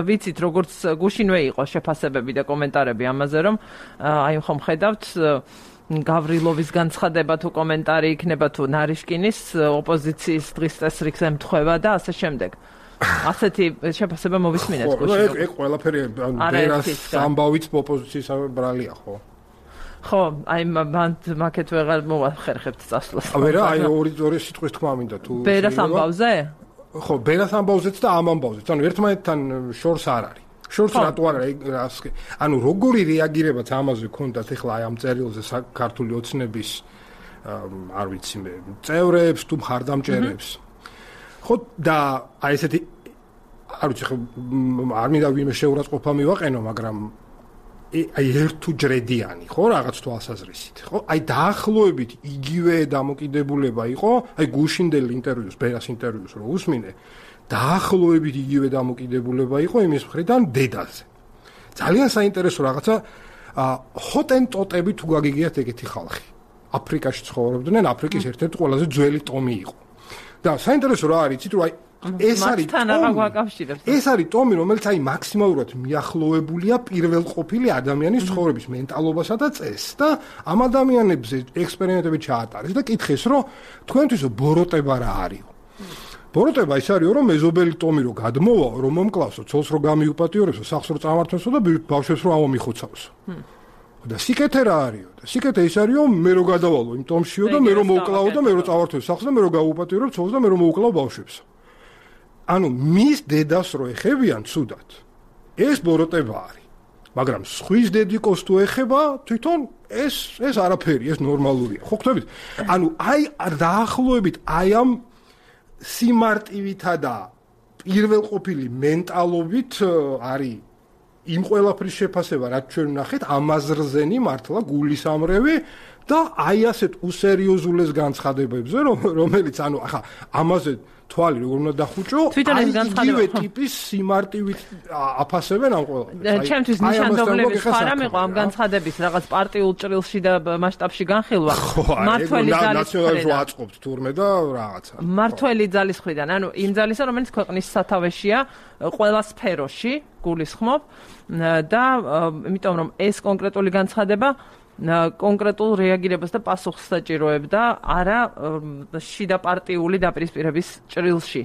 ვიცით როგორც გუშინვე იყო შეფასებები და კომენტარები ამაზე, რომ აი ხომ ხედავთ გავრილოვის განცხადება თუ კომენტარი იქნება თუ ნარიშკინის ოპოზიციის დღის წესრიგს ემთხვევა და ასე შემდეგ. ასეთი შეფასება მოვისმინეთ გუშინ. ხო, ეგ ყველაფერი ბერას ამბავით ოპოზიციის ბრალია, ხო? ხო, აი მან მაკეთ ვეღარ მოვახერხებთ წასვლას. ვერა, აი ორი ორი სიტყვის თქმა მინდა თუ ბერას ამბავზე? ხო, ბერას ამბავზეც და ამ ამბავზეც. ანუ ერთმანეთთან შორს არ არის. შორს რატო არა რას ანუ როგორი რეაგირებაც ამაზე ქონდათ ახლა აი ამ წერილზე ქართული ოცნების არ ვიცი მე წევრებს თუ მხარდამჭერებს ხო და აი ესეთი არ ვიცი ხო არ მინდა ვინმე შეურაცხყოფა მივაყენო მაგრამ აი ერთუ ჯრედიანი ხო რაღაც თვალსაზრისით ხო აი დაახლოებით იგივე დამოკიდებულება იყო აი გუშინდელ ინტერვიუს ბერას ინტერვიუს რო უსმინე დაახლოებით იგივე დამოკიდებულება იყო იმის მხრიდან დედაზე. ძალიან საინტერესო რაღაცა ჰოტენტოტები თუ გაგიგიათ ეგეთი ხალხი. აფრიკაში ცხოვრობდნენ, აფრიკის ერთ-ერთი ყველაზე ძველი ტომი იყო. და საინტერესო რა არის, იცით რომ აი ეს არის ეს არის ტომი, რომელიც აი მაქსიმალურად მიახლოებულია პირველყოფილი ადამიანის ცხოვრების მენტალობასა და წესს და ამ ადამიანებზე ექსპერიმენტები ჩაატარეს და კითხეს, რომ თქვენთვის ბოროტება რა არისო. ბოროტება ის არისო, რომ მეზობელი ტომი რო გადმოვაო, რომ მომკლავსო, ცოლს რო გამიუპატიურებსო, სახლს რო წამართვესო და ბავშვებს რო ამომიხოცავსო. და სიკეთე რა არისო? და სიკეთე ის არისო, მე რო გადავალო იმ ტომშიო და მე რო მოვკლავო და მე რო წავართვეს სახლს და მე რო გავუპატიურებ ცოლს და მე რო მოვკლავ ბავშვებს. ანუ მის დედას რო ეხებიან ცუდად. ეს ბოროტება არის. მაგრამ სხვის დედიკოს თუ ეხება, თვითონ ეს ეს არაფერი, ეს ნორმალურია. ხო ხვდებით? ანუ აი დაახლოებით აი ამ სიმარტივითა და პირველყოფილი მენტალობით არის იმ ყველაფრის შეფასება, რაც ჩვენ ვნახეთ, ამაზრზენი მართლა გულისამრევი და აი ასეთ უსერიოზულეს განცხადებებზე, რომელიც ანუ ახლა ამაზე თვალი როგორ უნდა დახუჭო, აი იგივე ტიპის სიმარტივით აფასებენ ამ ყველაფერს. ჩემთვის ნიშანდობლების ხარა მიყვა ამ განცხადების რაღაც პარტიულ ჭრილში და მასშტაბში განხილვა. მართველი ძალის მხრიდან აწყობთ თურმე და რაღაცა. მართველი ძალის მხრიდან, ანუ იმ ძალისა, რომელიც ქვეყნის სათავეშია ყველა სფეროში, გულისხმობ და იმიტომ რომ ეს კონკრეტული განცხადება კონკრეტულ რეაგირებას და პასუხს საჭიროებდა არა შიდა პარტიული დაპირისპირების ჭრილში.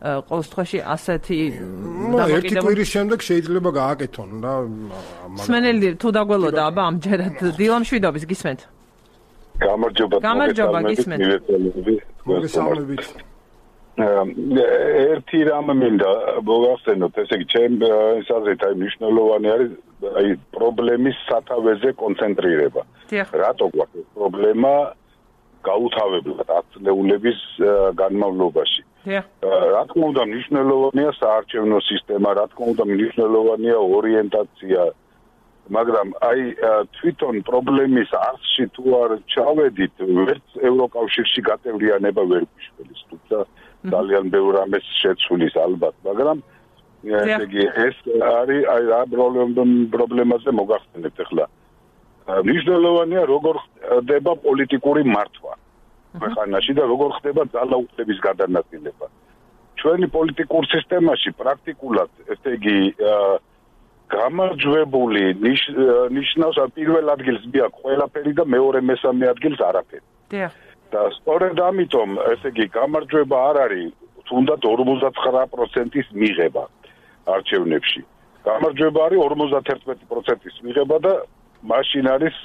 ყოველ შემთხვევაში ასეთი ერთი კვირის შემდეგ შეიძლება გააკეთონ და სმენელი თუ დაგველოდა აბა ამჯერად დილამშვიდობის გისმენთ. გამარჯობა. გამარჯობა გისმენთ. მოგესალმებით. ერთი რამ მინდა მოგახსენოთ, ესე იგი ჩემ საზრით აი მნიშვნელოვანი არის აი პრობლემის სათავეზე კონცენტრირება. რატო გვაქვს პრობლემა გაუთავებლად ათწლეულების განმავლობაში? რა თქმა უნდა მნიშვნელოვანია საარჩევნო სისტემა, რა თქმა უნდა მნიშვნელოვანია ორიენტაცია, მაგრამ აი თვითონ პრობლემის არსში თუ არ ჩავედით, ვერც ევროკავშირში გაწევრიანება ვერ გვიშველის, თუმცა ძალიან ბევრ რამეს შეცვლის ალბათ, მაგრამ ესე იგი ეს არის აი რა პრობლემაზე მოგახსენებთ ახლა. მნიშვნელოვანია როგორ ხდება პოლიტიკური მართვა ქვეყანაში და როგორ ხდება ძალაუფლების გადანაწილება. ჩვენი პოლიტიკურ სისტემაში პრაქტიკულად ესე იგი გამარჯვებული ნიშნავს პირველ ადგილს მიაქვს ყველაფერი და მეორე მესამე ადგილს არაფერი. და სწორედ ამიტომ ესე იგი გამარჯვება არ არის თუნდაც ორმოცდათხრა პროცენტის მიღება არჩევნებში. გამარჯვება არის ორმოცდაერთი პროცენტის მიღება და მაშინ არის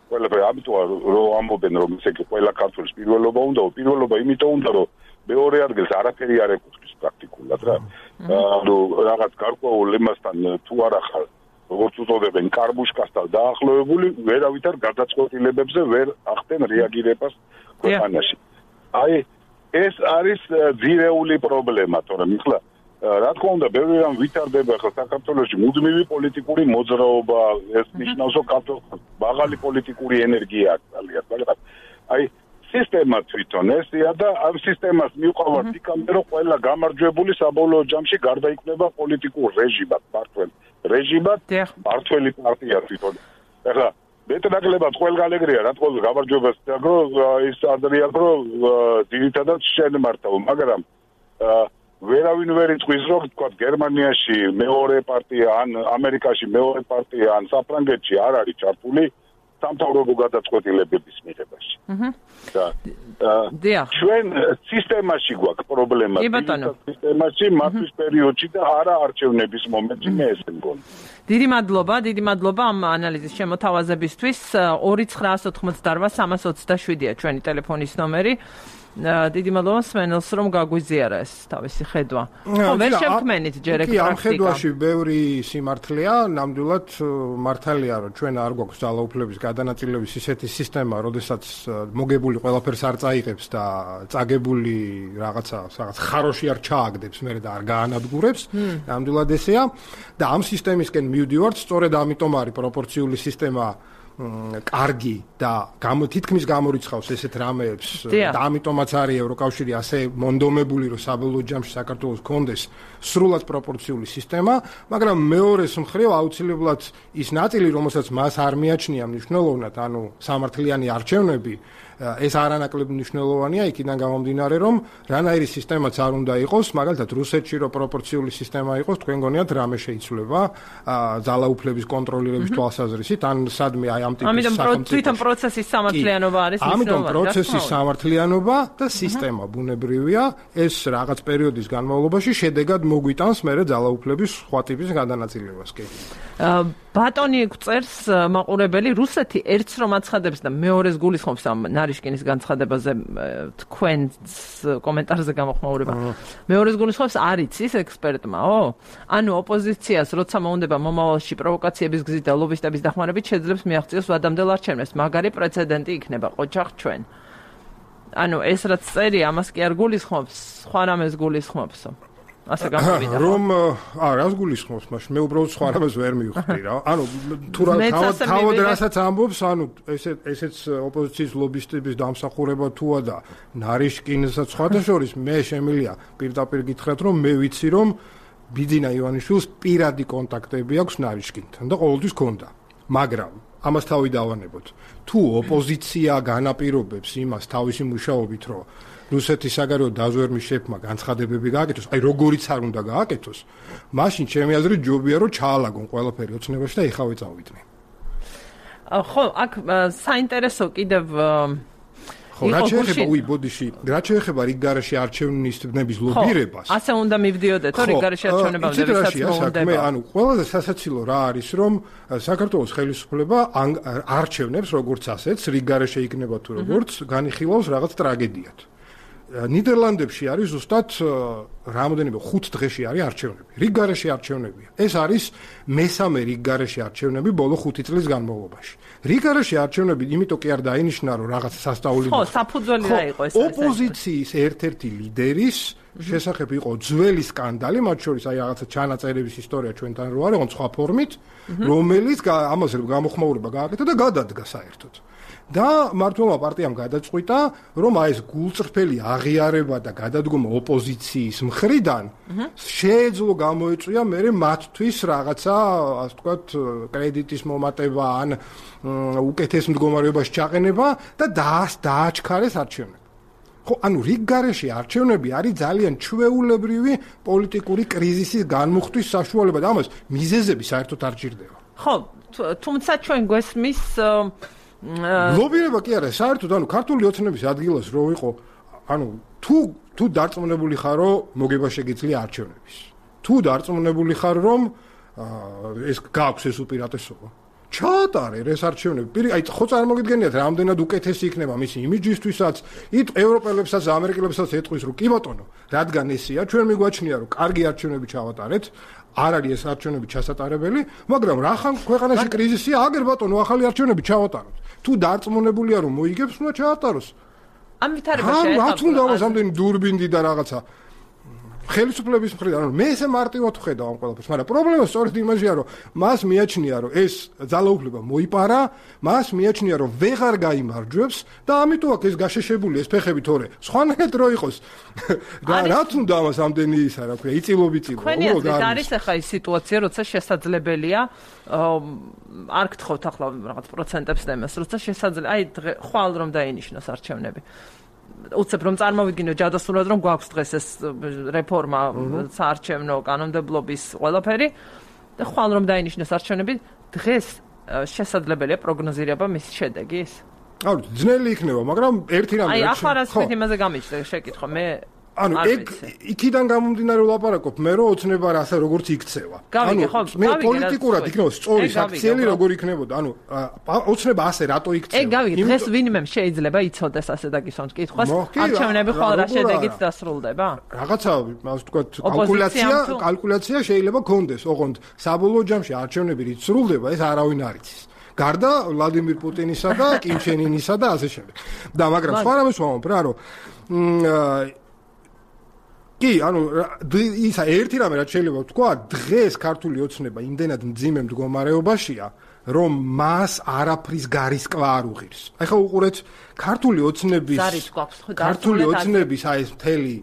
ყველაფერი ამიტომ რომ ამბობენ რომ ესე იგი ყველა ქართველის პირველობა უნდა, პირველობა იმიტომ უნდა რომ მეორე ადგილს არაფერი არ ეკუთვნის პრაქტიკულად რა. ანუ რაღაც გარკვეულ იმასთან თუ არა ხარ როგორც უწოდებენ კარბუშკასთან დაახლოებული, ვერავითარ გადაწყვეტილებებზე ვერ ახდენ რეაგირებას ქვეყანაში. აი ეს არის ძირეული პრობლემა, თორემ ახლა რა თქმა უნდა, ბევრი რამ ვითარდება ახლა საქართველოში მუდმივი პოლიტიკური მოძრაობა, ეს ნიშნავს, რომ საქართველოს მაღალი პოლიტიკური ენერგია აქვს ძალიან, მაგრამ აი სისტემა თვითონ ესია და ამ სისტემას მიუყვავად იქამდე რომ ყველა გამარჯვებული საბოლოო ჯამში გარდაიქმნება პოლიტიკურ რეჟიმად, მართლ რეჟიმად, მართველი პარტია თვითონ. ახლა მეტნაკლებად ყველგანეგრია რა თქმა უნდა გამარჯვებას დაგრო ის ადრიან რომ ძირითადად შენ მართავ, მაგრამ ვერავინ ვერ იწვის რომ თქვა გერმანიაში მეორე პარტია ან ამერიკაში მეორე პარტია ან საფრანგეთში არ არის ჩართული სამთავრობო გადაწყვეტილებების მიღებაში. დიახ. ჩვენ სისტემაში გვაქვს პრობლემა. სისტემაში მართვის პერიოდში და არა არჩევნების მომენტში მე ესე მგონი. დიდი მადლობა, დიდი მადლობა ამ ანალიზის შემოთავაზებისთვის. ორი ცხრაას ოთხმოცდაოთხ სამას ოცდაშვიდია ჩვენი ტელეფონის ნომერი. დიდი მადლობა სმენელს რომ გაგვიზიარა ეს თავისი ხედვა. ხო, ვერ შევქმენით ჯერ ეგ პრაქტიკა. კი, ამ ხედვაში ბევრი სიმართლეა, ნამდვილად მართალია რომ ჩვენ არ გვაქვს ძალაუფლების გადანაწილების ისეთი სისტემა, როდესაც მოგებული ყველაფერს არ წაიღებს და წაგებული რაღაცა, რაღაც ხაროში არ ჩააგდებს მერე და არ გაანადგურებს. ნამდვილად ესეა და ამ სისტემისკენ მივდივართ, სწორედ ამიტომ არის პროპორციული სისტემა კარგი და თითქმის გამორიცხავს ესეთ რამეებს და ამიტომაც არის ევროკავშირი ასე მონდომებული რომ საბოლოო ჯამში საქართველოს კონდეს სრულად პროპორციული სისტემა, მაგრამ მეორეს მხრივ აუცილებლად ის ნაწილი, რომელსაც მას არ მიაჩნია მნიშვნელოვნად, ანუ სამართლიანი არჩევნები, ეს არანაკლებ მნიშვნელოვანია იქიდან გამომდინარე, რომ რანაირი სისტემაც არ უნდა იყოს, მაგალითად რუსეთში რო პროპორციული სისტემა იყოს, თქვენ გონიათ რამე შეიცვლება ძალაუფლების კონტროლირების თვალსაზრისით, ან სადმე აი ამ ტიპის ამიტომ თვითონ პროცესის სამართლიანობა არის მნიშვნელოვანი. ამიტომ პროცესის სამართლიანობა და სისტემა ბუნებრივია, ეს რაღაც პერიოდის განმავლობაში შედეგად მოგვიტანს მერე ძალაუფლების სხვა ტიპის გადანაწილებას კი. ბატონი გვწერს მაყურებელი, რუსეთი ერთს რომ აცხადებს და მეორეს გულისხმობს ამ ნარიშკინის განცხადებაზე თქვენს კომენტარზე გამოხმაურება. მეორეს გულისხმობს არ იცის ექსპერტმაო? ანუ ოპოზიციას როცა მოუნდება მომავალში პროვოკაციების გზით და ლობისტების დახმარებით შეძლებს მიაღწიოს ვადამდელ არჩევნებს. მაგარი პრეცედენტი იქნება ყოჩახ ჩვენ. ანუ ეს რაც წერია, ამას კი არ გულისხმობს, სხვა რამეს გულისხმობსო. ასე გამოვიდა. რომ აა რას გულისხმობს მაშინ? მე უბრალოდ სხვა რამეს ვერ მივხვდი რა. ანუ თუ რა თავად რასაც ამბობს, ანუ ესე ესეც ოპოზიციის ლობისტების დამსახურება თუა და ნარიშკინსაც სხვათა შორის მე შემილია პირდაპირ გითხრათ რომ მე ვიცი რომ ბიძინა ივანიშვილს პირადი კონტაქტები აქვს ნარიშკინთან და ყოველთვის ქონდა. მაგრამ ამას თავი დავანებოთ. თუ ოპოზიცია განაპირობებს იმას თავისი მუშაობით რომ რუსეთის საგარეო დაზვერვის შეფმა განცხადებები გააკეთოს, აი როგორიც არ უნდა გააკეთოს, მაშინ ჩემი აზრით ჯობია რომ ჩაალაგონ ყველაფერი ოცნებაში და ეხავე წავიდნენ. ხო, აქ საინტერესო კიდევ ხო, რა შეეხება უი ბოდიში, რა შეეხება რიგ გარეშე არჩევნების ლობირებას? ხო, ასე უნდა მივდიოდეთ, თორე რიგ გარეშე არჩევნებამდე ვისაც მოუნდება. ანუ ყველაზე სასაცილო რა არის, რომ საქართველოს ხელისუფლება არჩევნებს როგორც ასეც, რიგ გარეშე იქნება თუ როგორც, განიხილავს რაღაც ტრაგედიად. ნიდერლანდებში არის ზუსტად რამოდენიმე ხუთ დღეში არის არჩევნები. რიგ გარეშე არჩევნებია. ეს არის მესამე რიგ გარეშე არჩევნები ბოლო ხუთი წლის განმავლობაში. რიგ გარეშე არჩევნები იმიტომ კი არ დაინიშნა რომ რაღაც სასწაული ხო, საფუძველი რა იყო ეს? ოპოზიციის ერთ-ერთი ლიდერის შესახებ იყო ძველი სკანდალი, მათ შორის აი რაღაცა ჩანაწერების ისტორია ჩვენთან რო არის, სხვა ფორმით, რომელიც ამაზე გამოხმაურება გააკეთა და გადადგა საერთოდ. და მართლობა პარტიამ გადაწყვიტა, რომ აი ეს გულწრფელი აღიარება და გადადგომა ოპოზიციის მხრიდან შეეძლო გამოეწვია მერე მათთვის რაღაცა, ასე ვთქვათ, კრედიტის მომატება ან უკეთეს მდგომარეობაში ჩაყენება და დააჩქარეს არჩევნები. ხო, ანუ რიგ გარეშე არჩევნები არის ძალიან ჩვეულებრივი პოლიტიკური კრიზისის განმუხტვის საშუალება და ამას მიზეზები საერთოდ არ ჭირდება. ხო, თუმცა ჩვენ გვესმის ლობირება კი არა, საერთოდ ანუ ქართული ოცნების ადგილას რო იყო, ანუ თუ თუ დარწმუნებული ხარ რომ მოგება შეგიძლია არჩევნების. თუ დარწმუნებული ხარ რომ ეს გააქვს ეს უპირატესობა. ჩაატარე ეს არჩევნები. პირი, აი ხო წარმოგიდგენიათ, რამდენად უკეთესი იქნება მისი იმიჯისთვისაც, ით ევროპელებსაც, ამერიკელებსაც ეტყვის, რომ კი ბატონო, რადგან ესეა, ჩვენ მიგვაჩნია, რომ კარგი არჩევნები ჩავატარეთ, არ არის ეს არჩევნები ჩასატარებელი, მაგრამ რახან ქვეყანაში კრიზისია, აგერ ბატონო, ახალი არჩევნები ჩავატაროთ. თუ დარწმუნებულია, რომ მოიგებს, უნდა ჩაატაროს. ამ ვითარებაში რა თქმა უნდა, ამდენი დურბინდი და რაღაცა ხელისუფლების მხრიდან, ანუ მე ესე მარტივად ვხედავ ამ ყველაფერს, მაგრამ პრობლემა სწორედ იმაშია, რომ მას მიაჩნია, რომ ეს ძალაუფლება მოიპარა, მას მიაჩნია, რომ ვეღარ გაიმარჯვებს და ამიტომ აქ ეს გაშეშებული ეს ფეხები თორე სხვანაირად რო იყოს. და რაც უნდა ამას ამდენი ისა, რა ქვია, იწილობიწილო. უბრალოდ არის ახლა ის სიტუაცია, როცა შესაძლებელია არ გთხოვთ ახლა რაღაც პროცენტებს და იმას, როცა შესაძლებელი, აი ხვალ რომ დაინიშნოს არჩევნები. უცებ რომ წარმოვიდგინო ჯადოსნურად რომ გვაქვს დღეს ეს რეფორმა საარჩევნო კანონმდებლობის ყველაფერი და ხვალ რომ დაინიშნოს არჩევნები დღეს შესაძლებელია პროგნოზირება მის შედეგის? აუ ძნელი იქნება, მაგრამ ერთი რამე აი ახლა რა თქვით იმაზე გამიჩნდა შეკითხვა მე ანუ ეგ იქიდან გამომდინარე ვლაპარაკობ მე რომ ოცნება რა ასე როგორც იქცევა. ანუ მე პოლიტიკურად იქნება სწორი საქციელი როგორ იქნებოდა. ანუ ოცნება ასე რატო იქცევა? ეგ გავიგე დღეს ვინმე შეიძლება იცოდეს ასე დაგისვამთ კითხვას არჩევნები ხვალ რა შედეგით დასრულდება? რაღაცა ასე ვთქვათ კალკულაცია კალკულაცია შეიძლება გქონდეს, ოღონდ საბოლოო ჯამში არჩევნები რით სრულდება ეს არავინ არ იცის. გარდა ვლადიმირ პუტინისა და კიმ ჩენ ინისა და ასე შემდეგ. და მაგრამ სხვა რამეს ვამბობ რა რომ კი, ანუ ისა ერთი რამე რაც შეიძლება ვთქვა, დღეს ქართული ოცნება იმდენად მძიმე მდგომარეობაშია, რომ მას არაფრის გარისკვა არ უღირს. აი ხო უყურეთ, ქართული ოცნების ქართული ოცნების აი ეს მთელი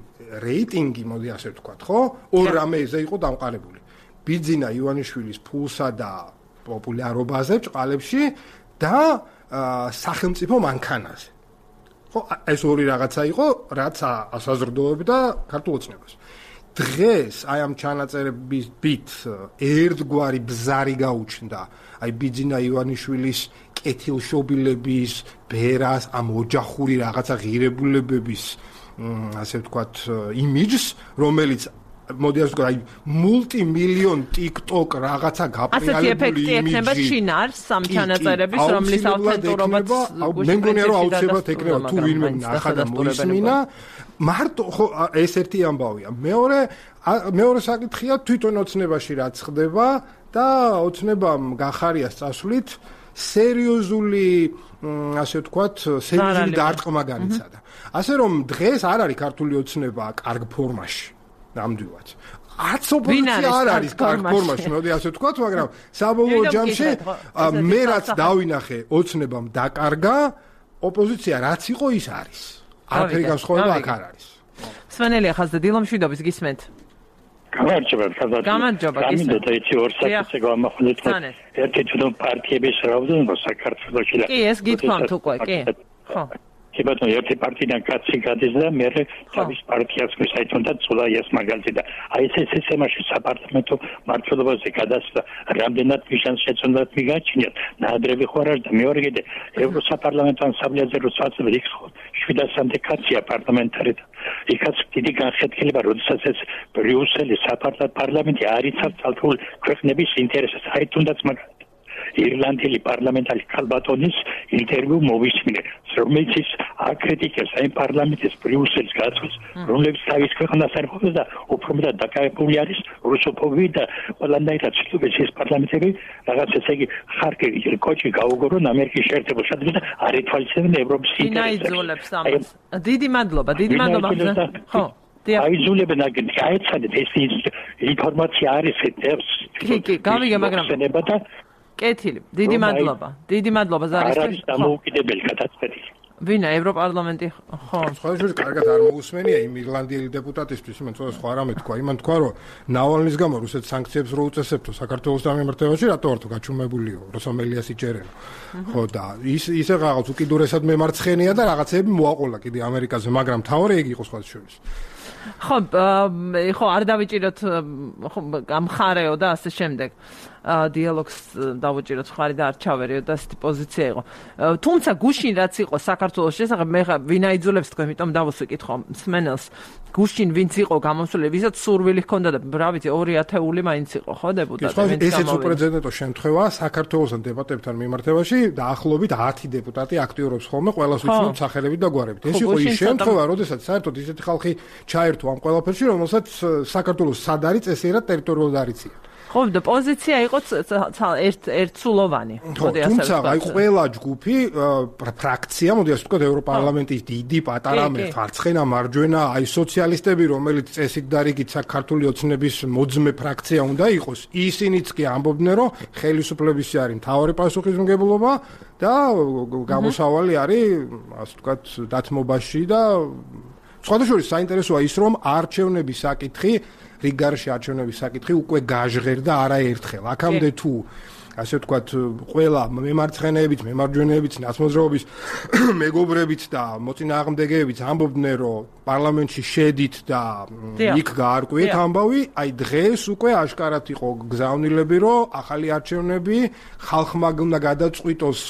რეიტინგი, მოდი ასე ვთქვათ, ხო? ორ რამეზე იყო დამყარებული. ბიძინა ივანიშვილის ფულსა და პოპულარობაზე ჭყალებში და სახელმწიფო მანქანაზე. ეს ორი რაღაცა იყო, რაც ასაზრდოებდა ქართულ ოცნებას. დღეს აი ამ ჩანაწერებით ერთგვარი ბზარი გაუჩნდა, აი ბიძინა ივანიშვილის კეთილშობილების, ბერას, ამ ოჯახური რაღაცა ღირებულებების, ასე ვთქვათ, იმიჯს, რომელიც მოდი ასე ვთქვათ, აი მულტიმილიონ TikTok რაღაცა გაპრიალებული იმიჯი. ასეთი ეფექტი ექნება შინარს ამ ჩანაწერების, რომლის ავთენტურობაც მე მგონია რომ აუცილებლად ექნება თუ ვინმე ნახა და მოისმინა. მარტო ხო ეს ერთი ამბავია. მეორე მეორე საკითხია თვითონ ოცნებაში რაც ხდება და ოცნებამ გახარია წასვლით სერიოზული ასე ვთქვათ, სერიოზული დარტყმა განიცადა. ასე რომ დღეს არ არის ქართული ოცნება კარგ ფორმაში. ნამდვილად. არც ოპოზიცია არ არის კარგ ფორმაში, მოდი ასე ვთქვათ, მაგრამ საბოლოო ჯამში მე რაც დავინახე, ოცნებამ დაკარგა, ოპოზიცია რაც იყო ის არის. არაფერი განსხვავება აქ არ არის. სვენელი ახალზე დილომშვიდობის გისმენთ. გამარჯობა, ხაზად. გამარჯობა, გისმენთ. გამიდოდა იცი ორ საკითხზე გამახვილეთ. ერთი თვითონ პარტიების რაოდენობა საქართველოში. კი, ეს გითქვამთ უკვე, კი. ხო. კი ბატონო, ერთი პარტიიდან კაცი გადის და მე თავის პარტიას გვისაითონდა ცოლაიას მაგალითი და აი ეს სისტემაში საპარლამენტო მმართველობაზე გადასვლა რამდენად მიშანს შეცდომად მიგაჩნიათ ნაადრევი ხო არა და მეორე კიდე ევროსაპარლამენტო ასამბლეაზე რო საწვევი იქ შვიდასამდე კაცია პარლამენტარი და იქაც დიდი განხეთქილება როდესაც ეს ბრიუსელის საპარლამენტი არ იცავს თალთულ ქვეყნების ინტერესებს აი თუნდაც მაგალითად ირლანდელი პარლამენტარი ქალბატონის ინტერვიუ მოვისმინე, რომელიც აკრიტიკებს აი პარლამენტის ბრიუსელის გაწყვეტს, რომლებიც თავის ქვეყანას არ ყოფს და უფრო მეტად დაკავებული არის რუსოფობიით და ყველანაირად ცდილობს ეს პარლამენტები რაღაც ესე იგი ხარკი კოჭი გაუგორონ ამერიკის შეერთებულ შტატებში და არ ეთვალისწინებენ ევროპის ინტერესებს. დიდი მადლობა, დიდი მადლობა. ხო. აიძულებენ აგენ გაეცადეთ ეს ინფორმაცია არის ეს. კი, კი, გავიგე, მაგრამ კეთილი, დიდი მადლობა. დიდი მადლობა ზარისთვის. არის დამოუკიდებელი გადაწყვეტილი. ვინა ევროპარლამენტი ხო სხვადასხვა კარგად არ მოусმენია იმ ირლანდიელი დეპუტატისთვის, იმან თქო სხვა რამე თქვა, იმან თქვა რომ ნავალნის გამო რუსეთს სანქციებს რო უწესებთო საქართველოს დამემართებაში, რატო არ თუ გაჩუმებულიო, როსომელიას იჭერენ. ხო და ის ისე რაღაც უკიდურესად მემარცხენია და რაღაცები მოაყოლა კიდე ამერიკაზე, მაგრამ თავი ეგ იყო სხვა შორის. ხო, ხო არ დავიჭიროთ ხო გამხარეო და ასე შემდეგ. დიალოგს დავუჭიროთ ხარი და არ ჩავერიო და ასეთი პოზიცია იყო. თუმცა გუშინ რაც იყო საქართველოს საქართველოს შესახებ მე ვინ აიძულებს თქვენ, იმიტომ დავუსვიკითხო მსმენელს. გუშინ ვინც იყო გამოსული, ვისაც სურვილი ჰქონდა და რა ვიცი ორი ათეული მაინც იყო, ხო დეპუტატი? ესეც უპრეცედენტო შემთხვევაა საქართველოსთან დებატებთან მიმართებაში დაახლოებით ათი დეპუტატი აქტიურობს ხოლმე ყველას ვიცნობთ სახელებით და გვარებით. ეს იყო ის შემთხვევა, როდესაც საერთოდ ისეთი ხალხი ჩაერთო ამ ყველაფერში, რომელსაც საქართველოს სად არის წესიერად ტერიტორიულად არიცია. ხო, და პოზიცია იყო ერთ ერთსულოვანი. თუმცა აი ყველა ჯგუფი, ფრაქცია, მოდი ასე ვთქვათ, ევროპარლამენტის დიდი, პატარა, მარცხენა, მარჯვენა, აი სოციალისტები, რომელიც წესით და რიგით საქართველოს ოცნების მოძმე ფრაქცია უნდა იყოს, ისინიც კი ამბობდნენ, რომ ხელისუფლების არის მთავარი პასუხისმგებლობა და გამოსავალი არის, ასე ვთქვათ, დათმობაში და სხვადასხვა საინტერესოა ის, რომ არჩევნების საკითხი რიგარში არჩევნების საკითხი უკვე გაჟღერდა არაერთხელ. აქამდე თუ ასე ვთქვათ, ყველა მემარცხენეებიც, მემარჯვენეებიც, ნაცმოძრაობის მეგობრებიც და მოწინააღმდეგეებიც ამბობდნენ, რომ პარლამენტში შედით და იქ გაარკვიეთ ამბავი, აი დღეს უკვე აშკარად იყო გზავნილები, რომ ახალი არჩევნები ხალხმა უნდა გადაწყვიტოს,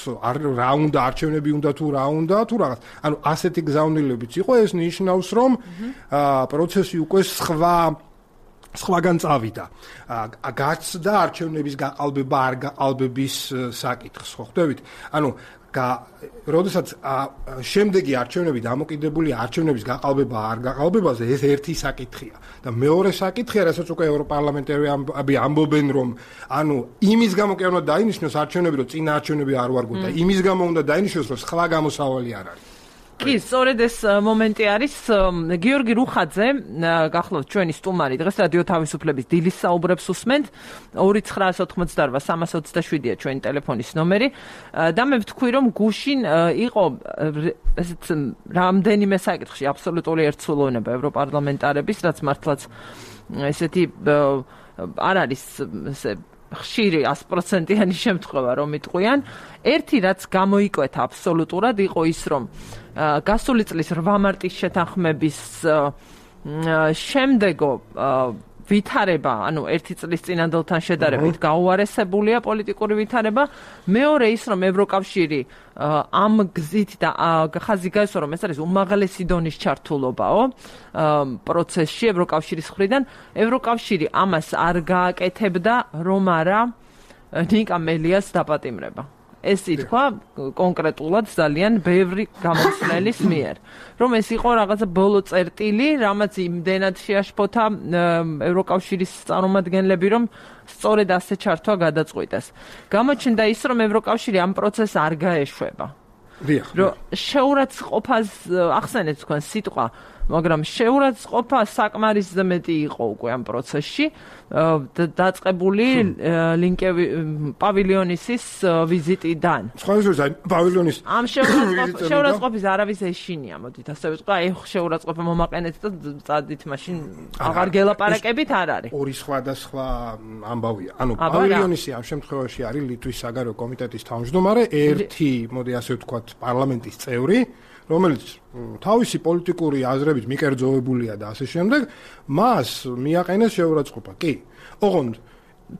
რა უნდა არჩევნები უნდა თუ რა უნდა თუ რაღაც. ანუ ასეთი გზავნილებიც იყო, ეს ნიშნავს, რომ პროცესი უკვე სხვა სხვაგან წავიდა. გაცდა არჩევნების გაყალბება არ გაყალბების საკითხს, ხო ხვდებით? ანუ როდესაც შემდეგი არჩევნები დამოკიდებული არჩევნების გაყალბება არ გაყალბებაზე, ეს ერთი საკითხია. და მეორე საკითხია, რასაც უკვე ევროპარლამენტარები ამბობენ, რომ ანუ იმის გამო კი არ უნდა დაინიშნოს არჩევნები, რომ წინა არჩევნები არ ვარგოთ და იმის გამო უნდა დაინიშნოს, რომ სხვა გამოსავალი არ არის. კი, სწორედ ეს მომენტი არის. გიორგი რუხაძე, გახლავთ ჩვენი სტუმარი, დღეს რადიო თავისუფლების დილის საუბრებს უსმენთ. ორი ცხრაას ოთხმოცდაარბა სამას ოცდაშვიდია ჩვენი ტელეფონის ნომერი. და მე ვთქვი, რომ გუშინ იყო ესეც რამდენიმე საკითხში აბსოლუტური ერთსულოვნება ევროპარლამენტარების, რაც მართლაც ესეთი არ არის ესე ხშირი ას პროცენტიანი შემთხვევა რომ იტყვიან. ერთი რაც გამოიკვეთა აბსოლუტურად იყო ის, რომ გასული წლის რვა მარტის შეთანხმების შემდეგო ვითარება, ანუ ერთი წლის წინანდელთან შედარებით გაუარესებულია პოლიტიკური ვითარება. მეორე ის, რომ ევროკავშირი ამ გზით და ხაზი გაესვა, რომ ეს არის უმაღლესი დონის ჩართულობაო პროცესში ევროკავშირის მხრიდან. ევროკავშირი ამას არ გააკეთებდა, რომ არა ნიკა მელიას დაპატიმრება. ეს ითქვა კონკრეტულად ძალიან ბევრი გამოცნელის მიერ, რომ ეს იყო რაღაცა ბოლო წერტილი, რამაც იმდენად შეაშფოთა ევროკავშირის წარმომადგენლები, რომ სწორედ ასე ჩართვა გადაწყვიტეს. გამოჩნდა ის, რომ ევროკავშირი ამ პროცესს არ გაეშვება. რომ შეურაცხყოფას ახსენეთ თქვენ სიტყვა, მაგრამ შეურაცხყოფა საკმარისზე მეტი იყო უკვე ამ პროცესში. დაწყებული ლინკები პავილიონისის ვიზიტიდან. სხვადასხვა პავილიონის ამ შეურაცხყოფის არავის ეშინია, მოდით ასე ვიტყვი, აი შეურაცხყოფა მომაყენეთ და წადით მაშინ აღარ გელაპარაკებით არ არის. ორი სხვადასხვა ამბავია. ანუ პავილიონისი ამ შემთხვევაში არის ლიტვის საგარეო კომიტეტის თავმჯდომარე, ერთი, მოდი ასე ვთქვათ, პარლამენტის წევრი, რომელიც თავისი პოლიტიკური აზრებით მიკერძოებულია და ასე შემდეგ, მას მიაყენეს შეურაცხყოფა. კი. ოღონდ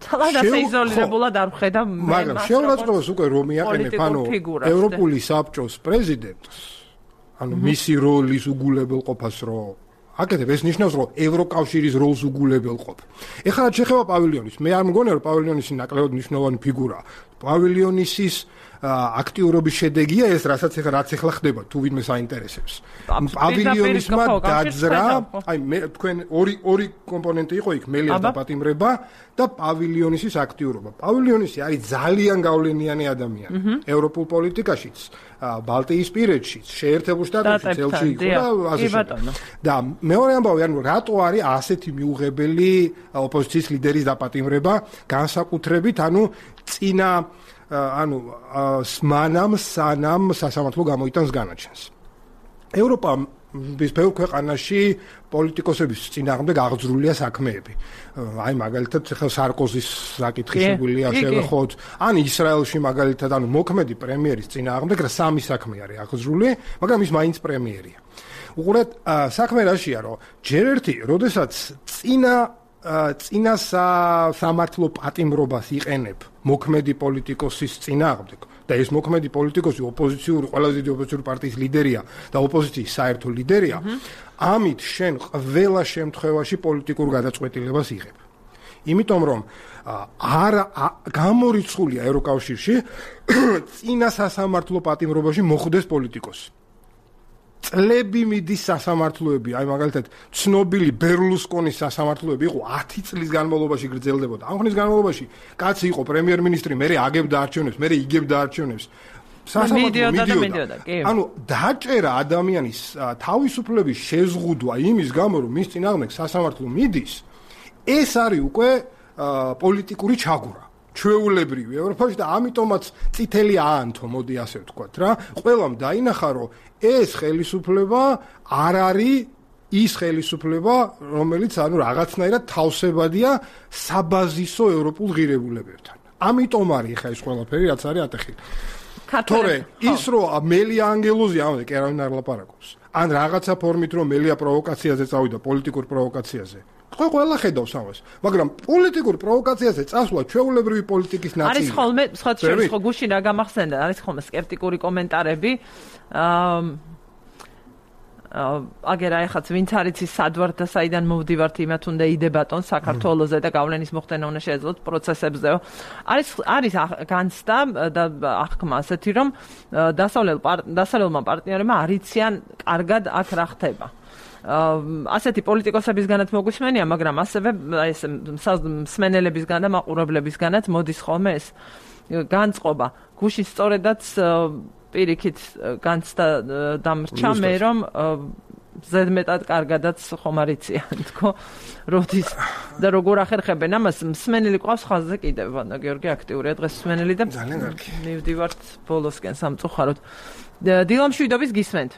თალადა შეიზოლირებულად არ ხედა მე მაგრამ შეურაცხყოფას უკვე რომ მიაყენებ, ანუ ევროპული საბჭოს პრეზიდენტს, ანუ მისი როლის უგულებელყოფას რო აკეთებ, ეს ნიშნავს, რომ ევროკავშირის როლს უგულებელყოფ. ეხლა რაც შეხება პავილიონის, მე არ მგონია, რომ პავილიონისი ნაკლებად მნიშვნელოვანი ფიგურაა. პავილიონისის აქტიურობის შედეგია ეს, რასაც ეხლა რაც ეხლა ხდება, თუ ვინმე საინტერესებს. პავილიონისმა დაძრა, აი მე თქვენ ორი ორი კომპონენტი იყო იქ, მელიას დაპატიმრება და პავილიონისის აქტიურობა. პავილიონისი არის ძალიან გავლენიანი ადამიანი ევროპულ პოლიტიკაშიც, ბალტიისპირეთშიც, შეერთებულ შტატებშიც, ელჩი იყო და ასე შემდეგ. და მეორე ამბავი, ანუ რატო არის ასეთი მიუღებელი ოპოზიციის ლიდერის დაპატიმრება, განსაკუთრებით, ანუ წინა ანუ მანამ სანამ სასამართლო გამოიტანს განაჩენს. ევროპა ბევრ ქვეყანაში პოლიტიკოსების წინააღმდეგ აღძრულია საქმეები. აი მაგალითად ხელ სარკოზის საკითხი შეგვიძლია შევეხოთ, ან ისრაელში მაგალითად, ანუ მოქმედი პრემიერის წინააღმდეგ სამი საქმე არის აღძრული, მაგრამ ის მაინც პრემიერია. უყურეთ, საქმე რაშია, რომ ჯერ ერთი, როდესაც წინა წინა სამართლო პატიმრობას იყენებ მოქმედი პოლიტიკოსის წინააღმდეგ და ეს მოქმედი პოლიტიკოსი ოპოზიციური ყველაზე დიდი ოპოზიციური პარტიის ლიდერია და ოპოზიციის საერთო ლიდერია, ამით შენ ყველა შემთხვევაში პოლიტიკურ გადაწყვეტილებას იღებ. იმიტომ რომ არ გამორიცხულია ევროკავშირში წინა სასამართლო პატიმრობაში მოხვდეს პოლიტიკოსი. წლები მიდის სასამართლოები, აი მაგალითად ცნობილი ბერლუსკონის სასამართლოები იყო ათი წლის განმავლობაში გრძელდებოდა. ამ ხნის განმავლობაში კაცი იყო პრემიერ-მინისტრი, მერე აგებდა არჩევნებს, მერე იგებდა არჩევნებს. მიდიოდა, კი. ანუ დაჭერა ადამიანის თავისუფლების შეზღუდვა იმის გამო, რომ მის წინააღმდეგ სასამართლო მიდის, ეს არის უკვე პოლიტიკური ჩაგვრა. ჩვეულებრივი ევროპაში და ამიტომაც წითელი აანთო, მოდი ასე ვთქვათ რა. ყველამ დაინახა, რომ ეს ხელისუფლება არ არის ის ხელისუფლება, რომელიც ანუ რაღაცნაირად თავსებადია საბაზისო ევროპულ ღირებულებებთან. ამიტომ არის ხა ეს ყველაფერი, რაც არის ატეხილი. თორე ის რომ მელია ანგელოზი ამაზე კი არავინ არ ლაპარაკობს. ან რაღაცა ფორმით რომ მელია პროვოკაციაზე წავიდა, პოლიტიკურ პროვოკაციაზე. ხო ყველა ხედავს ამას, მაგრამ პოლიტიკურ პროვოკაციაზე წასვლა ჩვეულებრივი პოლიტიკის ნაწილია. არის ხოლმე, სხვა შორის ხო გუშინ რა გამახსენდა, არის ხოლმე სკეპტიკური კომენტარები. აა აგერ აიხაც ვინც არის ის სადვარ და საიდან მოვდივართ იმათ უნდა იდებატონ საქართველოზე და გავლენის მოხდენა უნდა შეეძლოთ პროცესებზეო. არის არის განცდა და აღქმა ასეთი რომ დასავლელ დასავლელმა პარტნიორებმა არიციან კარგად აქ რა ხდება. ასეთი პოლიტიკოსებისგანაც მოგვისმენია, მაგრამ ასევე ეს მსმენელებისგან და მაყურებლებისგანაც მოდის ხოლმე ეს განწყობა. გუშინ სწორედაც პირიქით განცდა დამრჩა მე რომ ზედმეტად კარგადაც ხომ არიციან თქო როდის და როგორ ახერხებენ ამას მსმენელი ყავს ხაზზე კიდევ ვანდა გიორგი აქტიურია დღეს მსმენელი და ძალიან კარგი მივდივართ ბოლოსკენ სამწუხაროდ დილამშვიდობის გისმენთ